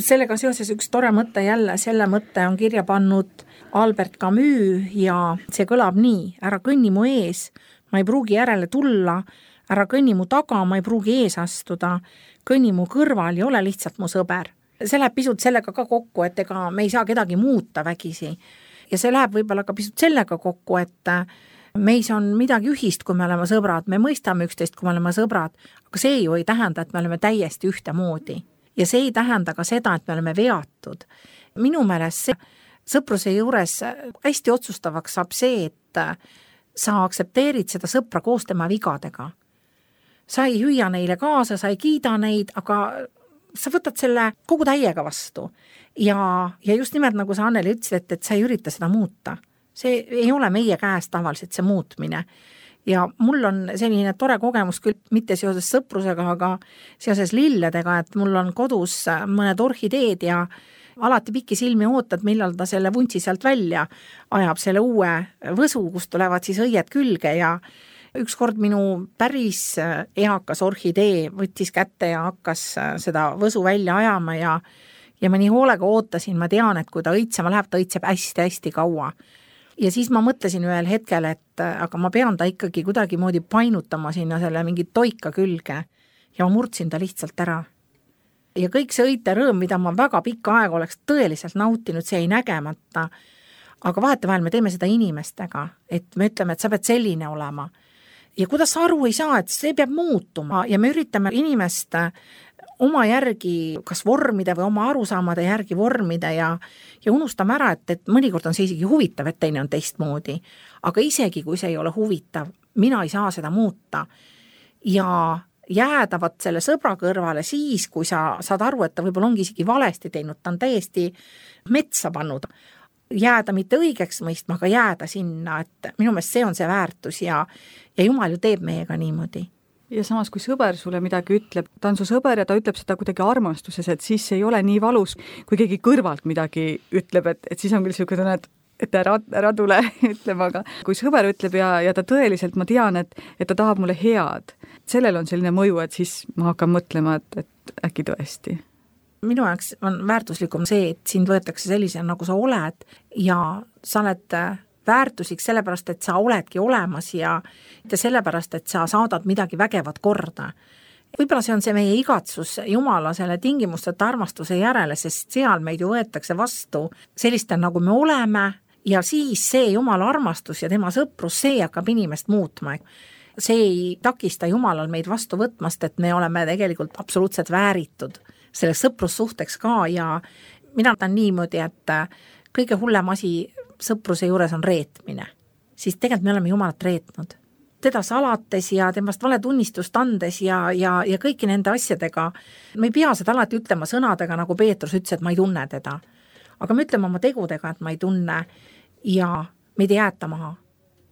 Sellega seoses üks tore mõte jälle, selle mõtte on kirja pannud Albert Camus ja see kõlab nii: ära kõnni mu ees, ma ei pruugi järele tulla, ära kõnni mu taga, ma ei pruugi ees astuda, kõnni mu kõrval ja ole lihtsalt mu sõber. See läheb pisut sellega ka kokku, et ega me ei saa kedagi muuta vägisi. Ja see läheb võib-olla ka pisut sellega kokku, et meis on midagi ühist, kui me oleme sõbrad, me mõistame üksteist, kui me oleme sõbrad, aga see ju ei tähenda, et me oleme täiesti ühtemoodi. Ja see ei tähenda ka seda, et me oleme veatud. Minu meelest sõpruse juures hästi otsustavaks saab see, et sa aktsepteerid seda sõpra koos tema vigadega. Sa ei hüüa neile kaasa, sa ei kiida neid, aga sa võtad selle kogu täiega vastu. Ja just nimelt nagu sa, Anneli, ütlesid, et sa ei ürita seda muuta. See ei ole meie käes tavaliselt see muutmine. Ja mul on selline tore kogemus küll mitte seoses sõprusega, aga seoses lilledega, et mul on kodus mõned orhideed ja alati pikki silmi ootad, millal ta selle vuntsi sealt välja ajab selle uue võsu, kust tulevad siis õied külge ja ükskord minu päris eakas orhidee võttis kätte ja hakkas seda võsu välja ajama ja ma nii hoolega ootasin, ma tean, et kui ta õitsema läheb, ta õitseb hästi-hästi kaua. Ja siis ma mõtlesin ühel hetkel, et aga ma pean ta ikkagi kuidagi moodi painutama sinna selle mingi toika külge ja ma murdsin ta lihtsalt ära. Ja kõik see õite rõõm, mida ma väga pikka aega oleks tõeliselt nautinud, see ei nägemata, aga vahetevahel me teeme seda inimestega, et me ütleme, et sa pead selline olema. Ja kuidas sa aru ei saa, et see peab muutuma ja me üritame inimest oma järgi kas vormida või oma arusaamade järgi vormida ja unustame ära, et mõnikord on see isegi huvitav, et teine on teistmoodi. Aga isegi kui see ei ole huvitav, mina ei saa seda muuta. Ja jäädavat selle sõbra kõrvale siis, kui sa saad aru, et ta võib-olla ongi isegi valesti teinud, ta on täiesti metsa pannud. Jääda mitte õigeks mõistma, aga jääda sinna, et minu meelest see on see väärtus ja Jumal ju teeb meiega niimoodi. Ja samas, kui sõber sulle midagi ütleb, ta on su sõber ja ta ütleb seda kuidagi armastuses, et siis ei ole nii valus, kui keegi kõrvalt midagi ütleb, et siis on küll selline tunne, et ära tule ütlema, aga kui sõber ütleb ja ta tõeliselt, ma tean, et ta tahab mulle head, sellel on selline mõju, et siis ma hakkan mõtlema, et äkki tõesti. Minu jaoks on väärtuslikum see, et sind võetakse sellise, nagu sa oled ja sa oled väärtuslik sellepärast, et sa oledki olemas ja sellepärast, et sa saadad midagi vägevat korda. Võib-olla see on see meie igatsus Jumala selle tingimusteta armastuse järele, sest seal meid ju võetakse vastu selliste, nagu me oleme ja siis see Jumala armastus ja tema sõprus, see hakkab inimest muutma. See ei takista Jumalal meid vastu võtmast, et me oleme tegelikult absoluutselt vääritud selleks sõprussuhteks ka ja mina tahan niimoodi, et kõige hullem asi sõpruse juures on reetmine. Siis tegelikult me oleme Jumalat reetnud. Teda salates ja temast valetunnistust andes ja kõiki nende asjadega. Me ei pea seda alati ütlema sõnadega, nagu Peetrus ütles, et ma ei tunne teda. Aga me ütleme oma tegudega, et ma ei tunne ja meid ei jäeta maha.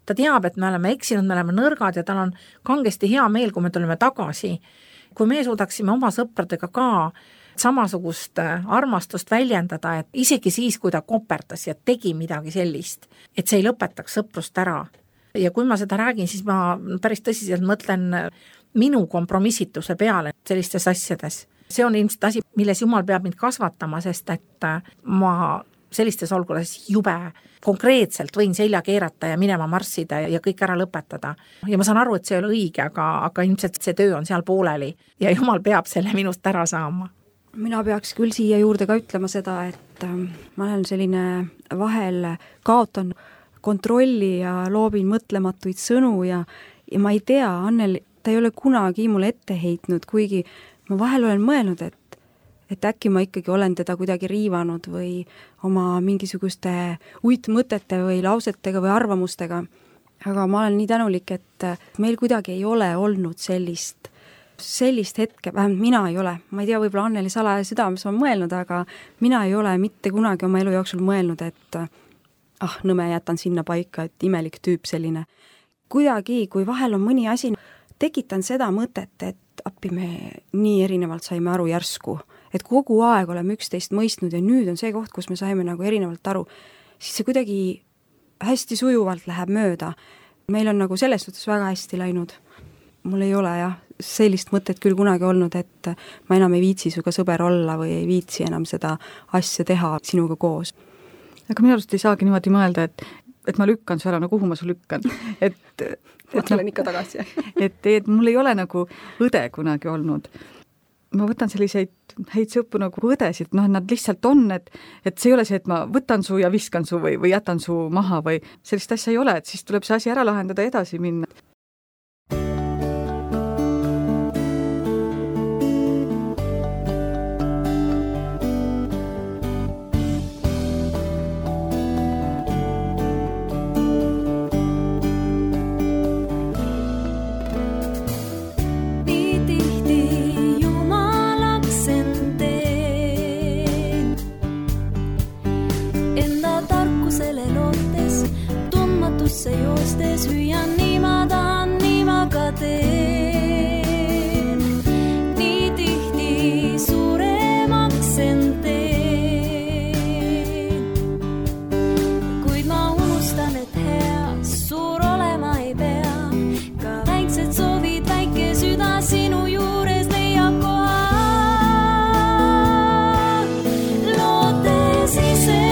Ta teab, et me oleme eksinud, me oleme nõrgad ja tal on kangesti hea meel, kui me tuleme tagasi. Kui me suudaksime oma sõpradega ka samasugust armastust väljendada, et isegi siis, kui ta koperdas ja tegi midagi sellist, et see ei lõpetaks sõprust ära. Ja kui ma seda räägin, siis ma päris tõsiselt mõtlen minu kompromissituse peale sellistes asjades. See on ilmselt asi, milles Jumal peab mind kasvatama, sest et ma sellistes olukordades jube konkreetselt võin selja keerata ja minema marssida ja kõik ära lõpetada. Ja ma saan aru, et see ei ole õige, aga ilmselt see töö on seal pooleli ja jumal peab selle minust ära saama. Mina peaks küll siia juurde ka ütlema seda, et ma olen selline vahel kaotan kontrolli ja loobin mõtlematuid sõnu ja ma ei tea, Anneli, ta ei ole kunagi mulle ette heitnud, kuigi ma vahel olen mõelnud, et äkki ma ikkagi olen teda kuidagi riivanud või oma mingisuguste uitmõtete või lausetega või arvamustega. Aga ma olen nii tänulik, et meil kuidagi ei ole olnud sellist hetke, vähemalt mina ei ole. Ma ei tea, võib-olla Anneli salaja südames on mõelnud, aga mina ei ole mitte kunagi oma elu jooksul mõelnud, et nõme jätan sinna paika, et imelik tüüp selline. Kuidagi, kui vahel on mõni asi, tekitan seda mõtet, et appi me nii erinevalt saime aru järsku, et kogu aeg oleme üksteist mõistnud ja nüüd on see koht, kus me saime nagu erinevalt aru, siis see kuidagi hästi sujuvalt läheb mööda. Meil on nagu selles suhtes väga hästi läinud. Mul ei ole sellist mõtet küll kunagi olnud, et ma enam ei viitsi suga sõber olla või ei viitsi enam seda asja teha sinuga koos. Aga minu arust ei saagi niimoodi mõelda, et ma lükkan su ära, no kuhu ma su lükkan. Ma tulen ikka tagasi. et mul ei ole nagu õde kunagi olnud. Ma võtan selliseid häid sõppu nagu õdesid, nad lihtsalt on, et see ei ole see, et ma võtan su ja viskan su või jätan su maha või sellist asja ei ole, et siis tuleb see asi ära lahendada ja edasi minna. Joostes hüüan, nii ma tahan, nii ma ka teen. Nii tihti suuremaks end teen. Kuid ma unustan, et hea suur olema ei pea. Ka väiksed soovid, väike süda sinu juures leiab koha. Lootes ise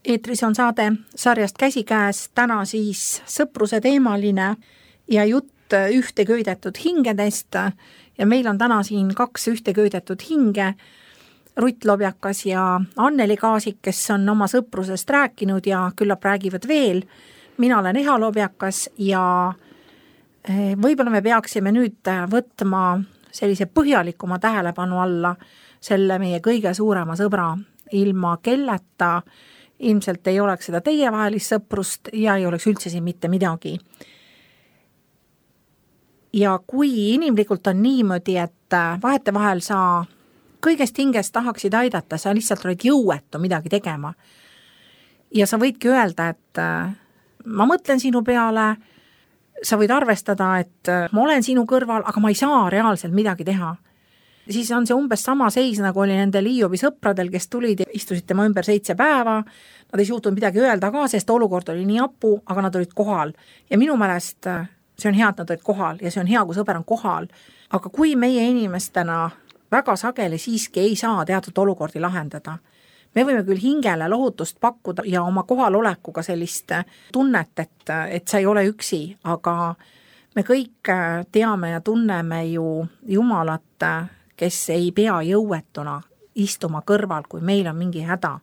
Eetris on saade sarjast Käsikäes, täna siis sõpruse teemaline ja jutt ühteköidetud hingedest ja meil on täna siin 2 ühteköidetud hinge, Rutt Lobjakas ja Anneli Kaasik, kes on oma sõprusest rääkinud ja küllap räägivad veel. Mina olen Eha Lobjakas ja võib-olla me peaksime nüüd võtma sellise põhjalikuma tähelepanu alla selle meie kõige suurema sõbra, ilma kelleta ilmselt ei oleks seda teievahelist sõprust ja ei oleks üldse siin mitte midagi. Ja kui inimlikult on niimoodi, et vahetevahel sa kõigest hingest tahaksid aidata, sa lihtsalt oled jõuetu midagi tegema. Ja sa võidki öelda, et ma mõtlen sinu peale sa võid arvestada, et ma olen sinu kõrval, aga ma ei saa reaalselt midagi teha. Siis on see umbes sama seis, nagu oli nendel Hiobi sõpradel, kes tulid ja istusid tema ümber 7 päeva. Nad ei suutnud midagi öelda ka, sest olukord oli nii hapu, aga nad olid kohal. Ja minu meelest see on hea, et nad olid kohal ja see on hea, kui sõber on kohal. Aga kui meie inimestena väga sageli siiski ei saa teatud olukordi lahendada, me võime küll hingele lohutust pakkuda ja oma kohalolekuga sellist tunnet, et sa ei ole üksi, aga me kõik teame ja tunneme ju Jumalat, kes ei pea jõuetuna istuma kõrval, kui meil on mingi häda.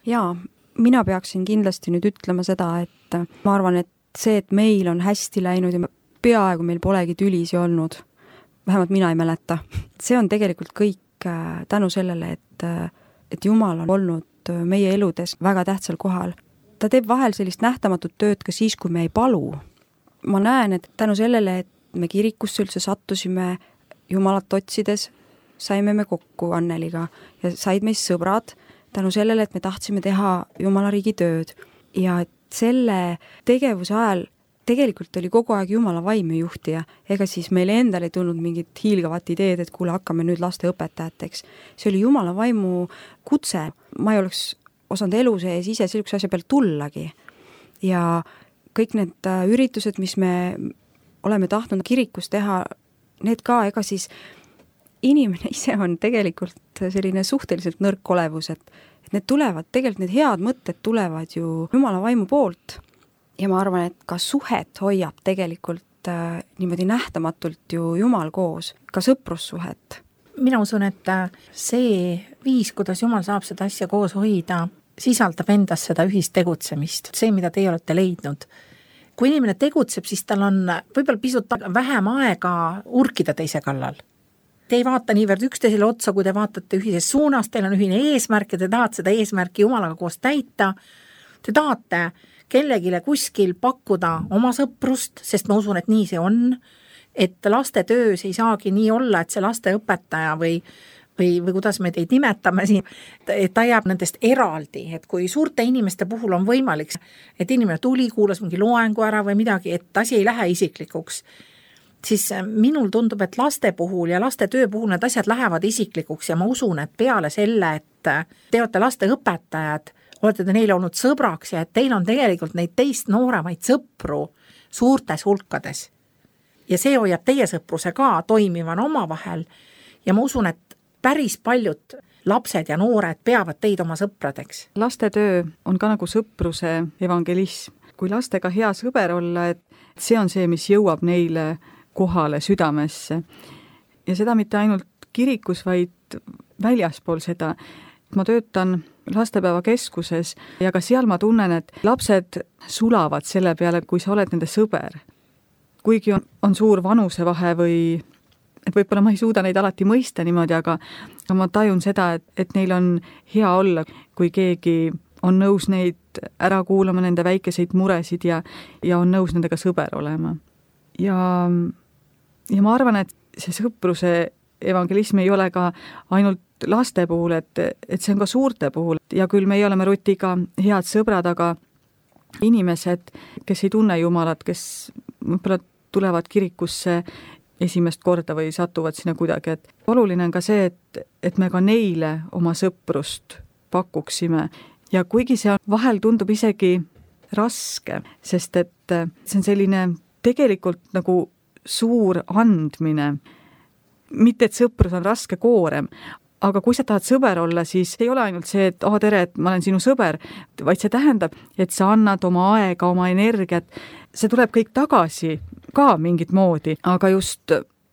Jaa, mina peaksin kindlasti nüüd ütlema seda, et ma arvan, et see, et meil on hästi läinud ja peaaegu meil polegi tülisi olnud, vähemalt mina ei mäleta, see on tegelikult kõik tänu sellele, et Jumal on olnud meie eludes väga tähtsal kohal. Ta teeb vahel sellist nähtamatut tööd ka siis, kui me ei palu. Ma näen, et tänu sellele, et me kirikusse üldse sattusime Jumalat otsides, saime me kokku Anneliga ja said meist sõbrad tänu sellele, et me tahtsime teha Jumala riigi tööd. Ja et selle tegevuse ajal tegelikult oli kogu aeg Jumala vaim juhtija, ega siis meil endal ei tulnud mingit hiilgavat ideed, et kuule, hakkame nüüd laste õpetajateks. See oli Jumala vaimu kutse. Ma ei oleks osanud elu sees ise sellise asja peal tullagi. Ja kõik need üritused, mis me oleme tahtnud kirikus teha, need ka, ega siis inimene ise on tegelikult selline suhteliselt nõrk olevus, et need tulevad, tegelikult need head mõtted tulevad ju Jumala vaimu poolt. Ja ma arvan, et ka suhet hoiab tegelikult niimoodi nähtamatult ju Jumal koos, ka sõprussuhet. Mina usun, et see viis, kuidas Jumal saab seda asja koos hoida, sisaldab endas seda ühist tegutsemist, see, mida teie olete leidnud. Kui inimene tegutseb, siis tal on võib-olla pisut vähem aega urkida teise kallal. Te ei vaata niivõrd üksteisele otsa, kui te vaatate ühises suunas, teil on ühine eesmärk ja te tahate seda eesmärki Jumalaga koos täita. Te tahate kellegile kuskil pakkuda oma sõprust, sest ma usun, et nii see on, et laste töös ei saagi nii olla, et see lasteõpetaja või kuidas me teid nimetame siin, et ta jääb nendest eraldi, et kui suurte inimeste puhul on võimalik, et inimene tuli, kuulas mingi loengu ära või midagi, et asi ei lähe isiklikuks, siis minul tundub, et laste puhul ja laste töö puhul need asjad lähevad isiklikuks ja ma usun, et peale selle, et te olete laste õpetajad, olete te neile olnud sõbraks ja et teil on tegelikult neid teist nooremaid sõpru suurtes hulkades. Ja see hoiab teie sõpruse ka toimivan omavahel ja ma usun, et päris paljud lapsed ja noored peavad teid oma sõpradeks. Laste töö on ka nagu sõpruse evangelism. Kui lastega hea sõber olla, et see on see, mis jõuab neile kohale südamesse. Ja seda mitte ainult kirikus, vaid väljaspool seda. Ma töötan lastepäeva keskuses ja ka seal ma tunnen, et lapsed sulavad selle peale, kui sa oled nende sõber. Kuigi on suur vanusevahe või et võib-olla ma ei suuda neid alati mõista niimoodi, aga ma tajun seda, et neil on hea olla, kui keegi on nõus neid ära kuulama, nende väikeseid muresid ja on nõus nendega sõber olema. Ja ma arvan, et see sõpruse evangelism ei ole ka ainult laste puhul, et see on ka suurte puhul. Ja küll meie oleme Rutiga head sõbrad, aga inimesed, kes ei tunne Jumalat, kes võib-olla tulevad kirikusse esimest korda või satuvad sinna kuidagi, et oluline on ka see, et me ka neile oma sõprust pakuksime. Ja kuigi see vahel tundub isegi raske, sest et see on selline tegelikult nagu suur andmine. Mitte, et sõprus on raske koorem, aga kui sa tahad sõber olla, siis ei ole ainult see, et tere, et ma olen sinu sõber, vaid see tähendab, et sa annad oma aega, oma energiat. See tuleb kõik tagasi ka mingit moodi, aga just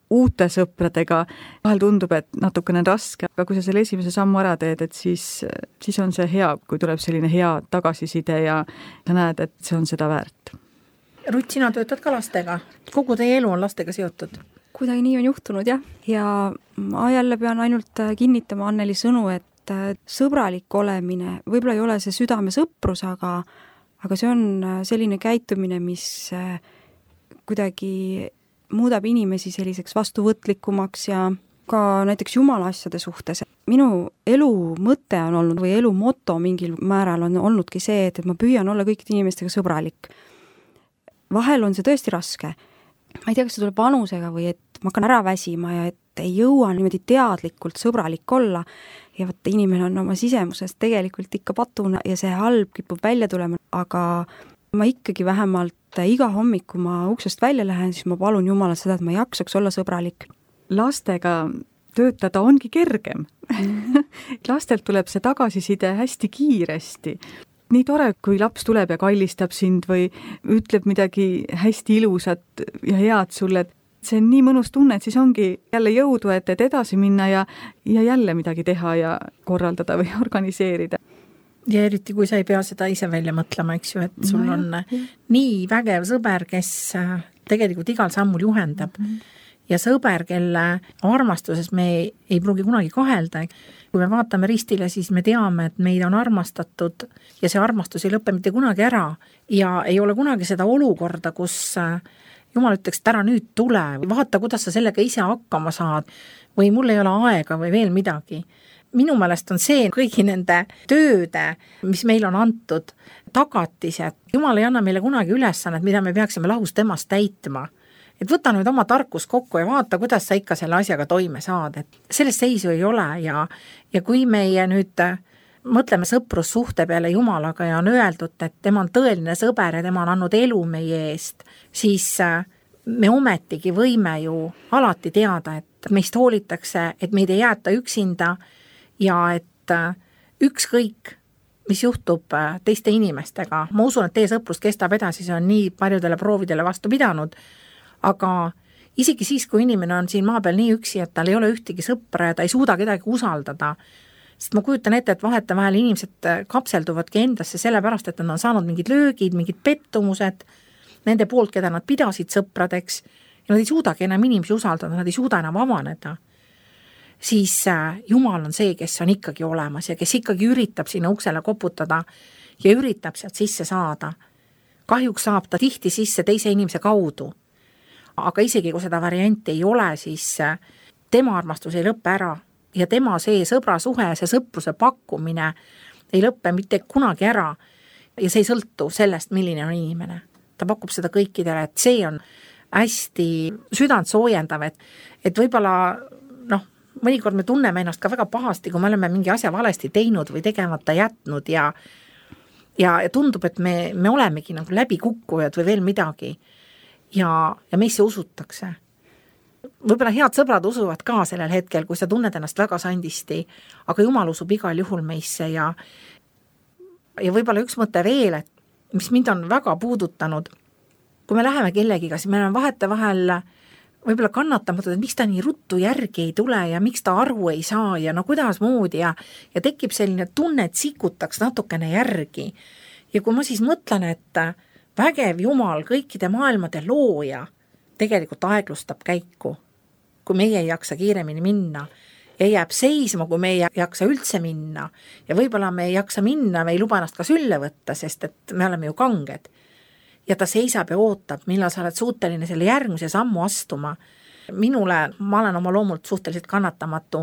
uute sõpradega vahel tundub, et natukene raske, aga kui sa selle esimese sammu ära teed, et siis on see hea, kui tuleb selline hea tagasiside ja sa näed, et see on seda väärt. Rutt, sina töötad ka lastega. Kogu teie elu on lastega seotud. Kuidagi nii on juhtunud, jah. Ja ma jälle pean ainult kinnitama Anneli sõnu, et sõbralik olemine, võib-olla ei ole see südame sõprus, aga see on selline käitumine, mis kuidagi muudab inimesi selliseks vastuvõtlikumaks ja ka näiteks Jumala asjade suhtes. Minu elu mõte on olnud või elu moto mingil määral on olnudki see, et ma püüan olla kõikide inimestega sõbralik. vahel on see tõesti raske. Ma ei tea, kas see tuleb vanusega või et ma hakkan ära väsima ja et ei jõua niimoodi teadlikult sõbralik olla ja võtta inimene on oma sisemusest tegelikult ikka patuna ja see halb kipub välja tulema, aga ma ikkagi vähemalt iga hommik, kui ma uksest välja lähen, siis ma palun Jumalat seda, et ma jaksaks olla sõbralik. Lastega töötada ongi kergem. Lastelt tuleb see tagasiside hästi kiiresti. Nii tore, kui laps tuleb ja kallistab sind või ütleb midagi hästi ilusat ja head sulle, et see on nii mõnus tunne, et siis ongi jälle jõudu, et edasi minna ja jälle midagi teha ja korraldada või organiseerida. Ja eriti, kui sa ei pea seda ise välja mõtlema, eks ju, et sul on nii vägev sõber, kes tegelikult igal sammul juhendab. Ja sõber, kelle armastuses me ei pruugi kunagi kahelda. Kui me vaatame ristile, siis me teame, et meid on armastatud ja see armastus ei lõpe mitte kunagi ära. Ja ei ole kunagi seda olukorda, kus Jumal ütleks, et ära nüüd tule, vaata, kuidas sa sellega ise hakkama saad või mul ei ole aega või veel midagi. Minu meelest on see kõigi nende tööde, mis meil on antud, tagatised. Jumal ei anna meile kunagi ülesannet, mida me peaksime lahus temast täitma. Et võta nüüd oma tarkus kokku ja vaata, kuidas sa ikka selle asjaga toime saad. Et sellest seisu ei ole ja kui meie nüüd mõtleme sõprussuhte peale Jumalaga ja on öeldud, et tema on tõeline sõber ja tema on andnud elu meie eest, siis me ometigi võime ju alati teada, et meist hoolitakse, et meid ei jäeta üksinda ja et ükskõik, mis juhtub teiste inimestega. Ma usun, et teie sõprus kestab edasi, see on nii paljudele proovidele vastu pidanud, aga isegi siis, kui inimene on siin maa peal nii üksi, et tal ei ole ühtegi sõpra ja ta ei suuda kedagi usaldada, sest ma kujutan ette, et vahetevahel inimesed kapselduvadki endasse sellepärast, et nad on saanud mingid löögid, mingid pettumused nende poolt, keda nad pidasid sõpradeks ja nad ei suudagi enam inimesi usaldada, nad ei suuda enam avaneda. Siis Jumal on see, kes on ikkagi olemas ja kes ikkagi üritab sinna uksele koputada ja üritab sealt sisse saada. Kahjuks saab ta tihti sisse teise inimese kaudu. Aga isegi kui seda varianti ei ole, siis tema armastus ei lõppe ära ja tema see sõbrasuhe, see sõpruse pakkumine ei lõppe mitte kunagi ära ja see ei sõltu sellest, milline on inimene. Ta pakub seda kõikidele, et see on hästi südant soojendav, et võib-olla mõnikord me tunneme ennast ka väga pahasti, kui me oleme mingi asja valesti teinud või tegemata jätnud ja tundub, et me olemegi nagu läbikukkujad või veel midagi ja meisse usutakse. Võib-olla head sõbrad usuvad ka sellel hetkel, kui sa tunned ennast väga sandisti, aga Jumal usub igal juhul meisse ja võib-olla üks mõte veel, et mis mind on väga puudutanud, kui me läheme kellegiga, siis me oleme vahetevahel võib-olla kannatamatud, et miks ta nii ruttu järgi ei tule ja miks ta aru ei saa ja kuidas moodi ja tekib selline tunne, et sikutaks natukene järgi. Ja kui ma siis mõtlen, et vägev Jumal, kõikide maailmade looja, tegelikult aeglustab käiku, kui meie ei jaksa kiiremini minna ja jääb seisma, kui me ei jaksa üldse minna ja võib-olla me ei jaksa minna, me ei luba ennast ka sülle võtta, sest et me oleme ju kanged. Ja ta seisab ja ootab, millal sa oled suuteline selle järgmise sammu astuma. Minule, ma olen oma loomult suhteliselt kannatamatu,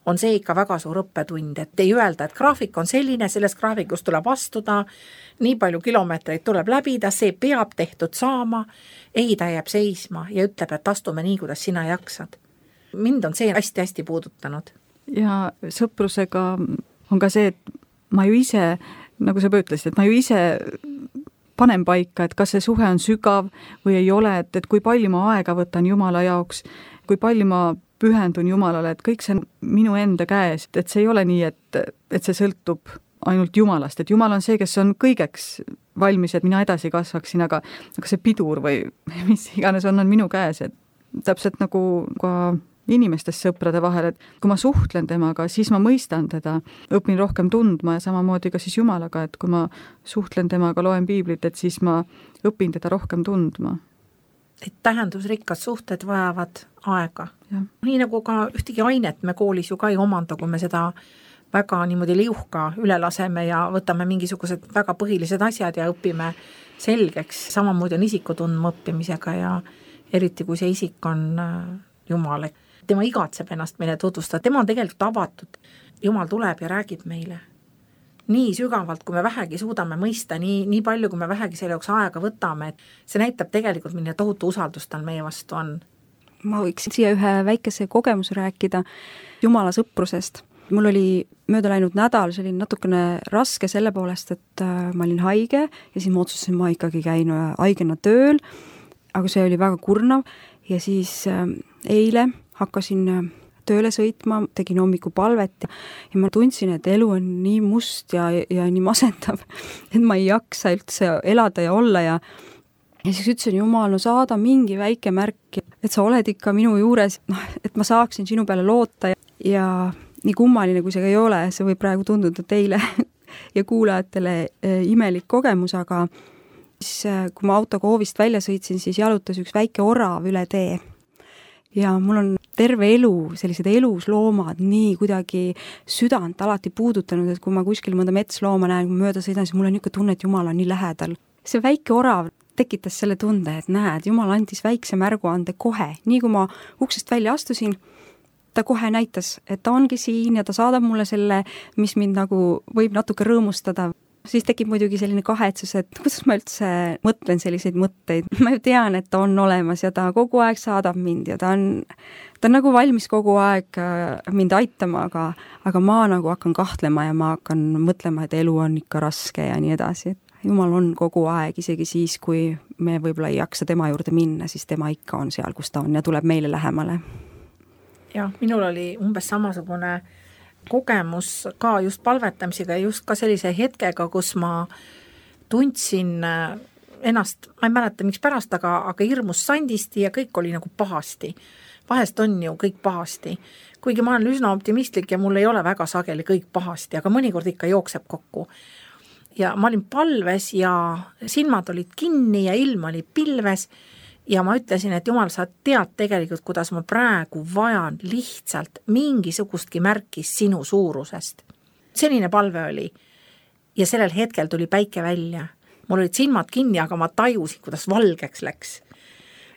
on see ikka väga suur õppetund, et ei öelda, et graafik on selline, sellest graafikust tuleb astuda, nii palju kilomeetreid tuleb läbida, see peab tehtud saama, ei ta jääb seisma ja ütleb, et astume nii, kuidas sina jaksad. Mind on see hästi-hästi puudutanud. Ja sõprusega on ka see, et ma ju ise, nagu sa ütlesid, et ma ju ise panen paika, et kas see suhe on sügav või ei ole, et kui palju ma aega võtan Jumala jaoks, kui palju ma pühendun Jumalale, et kõik see on minu enda käes, et see ei ole nii, et see sõltub ainult Jumalast, et Jumal on see, kes on kõigeks valmis, et mina edasi kasvaksin, aga see pidur või mis iganes on minu käes, et täpselt nagu ka inimestest sõprade vahel, et kui ma suhtlen temaga, siis ma mõistan teda, õpin rohkem tundma ja samamoodi ka siis Jumalaga, et kui ma suhtlen temaga, loen piiblit, et siis ma õpin teda rohkem tundma. Et tähendusrikkad suhted vajavad aega. Ja. Nii nagu ka ühtegi ainet me koolis ju ka ei omanda, kui me seda väga niimoodi liuhka üle laseme ja võtame mingisugused väga põhilised asjad ja õpime selgeks. Samamoodi on isikutundma õppimisega ja eriti kui see isik on Jumal. Tema igatseb ennast meile tutvustada, tema on tegelikult avatud. Jumal tuleb ja räägib meile. nii sügavalt, kui me vähegi suudame mõista, nii palju, kui me vähegi selle jaoks aega võtame, et see näitab tegelikult, milline tohutu usaldus tal meie vastu on. Ma võiksin siia ühe väikese kogemuse rääkida Jumala sõprusest. Mul oli mööda läinud nädal, see oli natukene raske selle poolest, et ma olin haige ja siis ma otsustasin, ma ikkagi käin haigena tööl, aga see oli väga kurnav ja siis eile hakkasin tööle sõitma, tegin hommikupalvet ja ma tundsin, et elu on nii must ja nii masendav, et ma ei jaksa üldse elada ja olla ja siis ütlesin, Jumal, no saada mingi väike märk, et sa oled ikka minu juures, et ma saaksin sinu peale loota ja nii kummaline, kui see ei ole, see võib praegu tunduda teile ja kuulajatele imelik kogemus, aga siis, kui ma autoga hoovist välja sõitsin, siis jalutas üks väike orav üle tee. Ja mul on terve elu, sellised elusloomad nii kuidagi südant alati puudutanud, et kui ma kuskil mõnda metslooma näen, kui mööda sõidan, siis mul on niisugune tunne, et Jumal on nii lähedal. See väike orav tekitas selle tunde, et näed, Jumal andis väikse märguande kohe. Nii kui ma uksest välja astusin, ta kohe näitas, et ta ongi siin ja ta saadab mulle selle, mis mind nagu võib natuke rõõmustada. Siis tekib muidugi selline kahetsus, et kuidas ma üldse mõtlen selliseid mõtteid. Ma ju tean, et ta on olemas ja ta kogu aeg saadab mind ja ta on nagu valmis kogu aeg mind aitama, aga ma nagu hakkan kahtlema ja ma hakkan mõtlema, et elu on ikka raske ja nii edasi. Jumal on kogu aeg, isegi siis, kui me võib-olla ei jaksa tema juurde minna, siis tema ikka on seal, kus ta on ja tuleb meile lähemale. Jah, minul oli umbes samasugune kogemus ka just palvetamisega ja just ka sellise hetkega, kus ma tundsin ennast, ma ei mäleta miks pärast, aga hirmus sandisti ja kõik oli nagu pahasti. Vahest on ju kõik pahasti. Kuigi ma olen üsna optimistlik ja mul ei ole väga sageli kõik pahasti, aga mõnikord ikka jookseb kokku. Ja ma olin palves ja silmad olid kinni ja ilm oli pilves ja ma ütlesin, et Jumal, sa tead tegelikult, kuidas ma praegu vajan lihtsalt mingisugustki märkis sinu suurusest. Selline palve oli. Ja sellel hetkel tuli päike välja. Mul olid silmad kinni, aga ma tajusin, kuidas valgeks läks.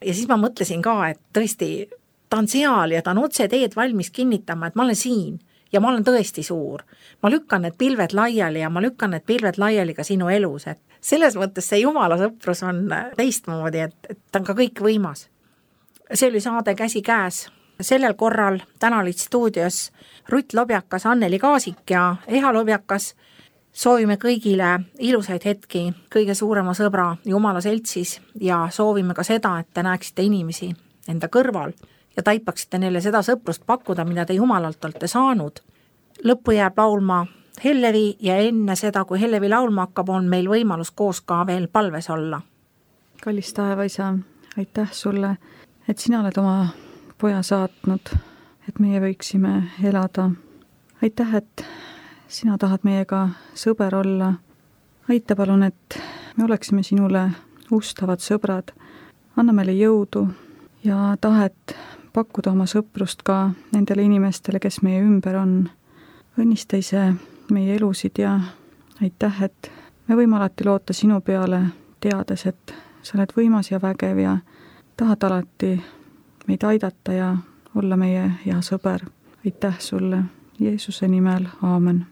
Ja siis ma mõtlesin ka, et tõesti, ta on seal ja ta on otse teed valmis kinnitama, et ma olen siin ja ma olen tõesti suur. Ma lükkan need pilved laiali ja ma lükkan need pilved laiali ka sinu elus, et selles mõttes see Jumala sõprus on teistmoodi, et ta on ka kõik võimas. See oli saade Käsi käes. Sellel korral täna olid stuudios Rutt Lobjakas, Anneli Kaasik ja Eha Lobjakas. Soovime kõigile ilusaid hetki kõige suurema sõbra Jumala seltsis ja soovime ka seda, et te näeksite inimesi enda kõrval ja taipaksite neile seda sõprust pakkuda, mida te Jumalalt olete saanud. Lõppu jääb laulma Hellevi ja enne seda, kui Hellevi laulma hakkab, on meil võimalus koos ka veel palves olla. Kallis taevaisa, aitäh sulle, et sina oled oma poja saatnud, et meie võiksime elada. Aitäh, et sina tahad meiega sõber olla. Aita palun, et me oleksime sinule ustavad sõbrad. Anna meile jõudu ja tahet pakkuda oma sõprust ka nendele inimestele, kes meie ümber on. Õnnista ise meie elusid ja aitäh, et me võime alati loota sinu peale, teades, et sa oled võimas ja vägev ja tahad alati meid aidata ja olla meie hea sõber. Aitäh sulle Jeesuse nimel, aamen.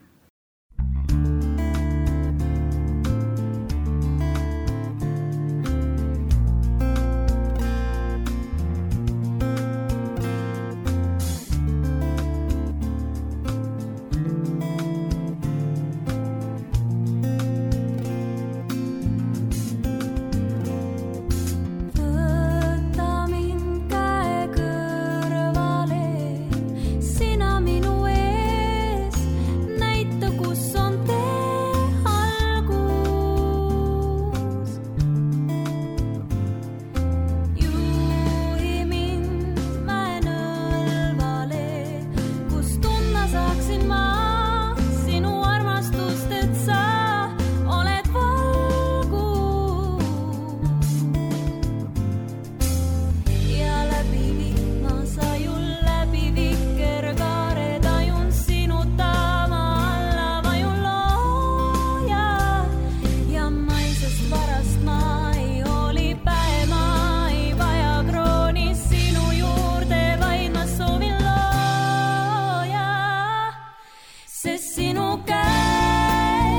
Sest sinu käes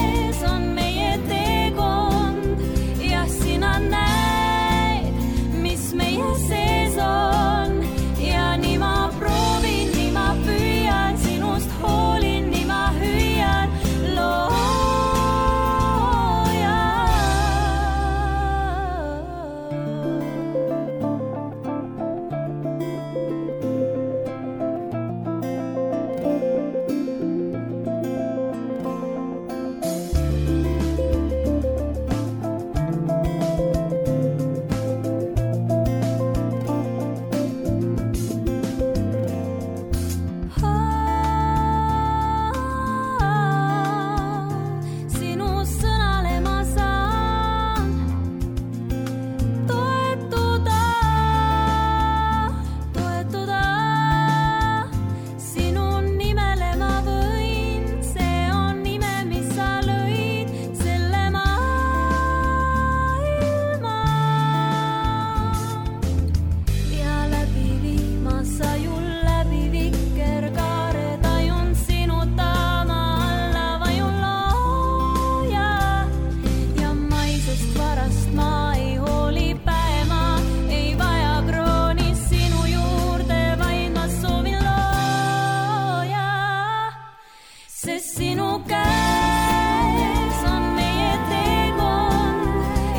sinu käes on meie teekond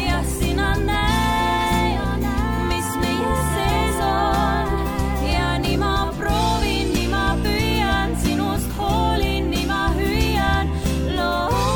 ja sina näed, mis meie sees on ja nii ma proovin, nii ma püüan, sinust hoolin, nii ma hüüan, looja.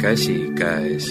Käsi käes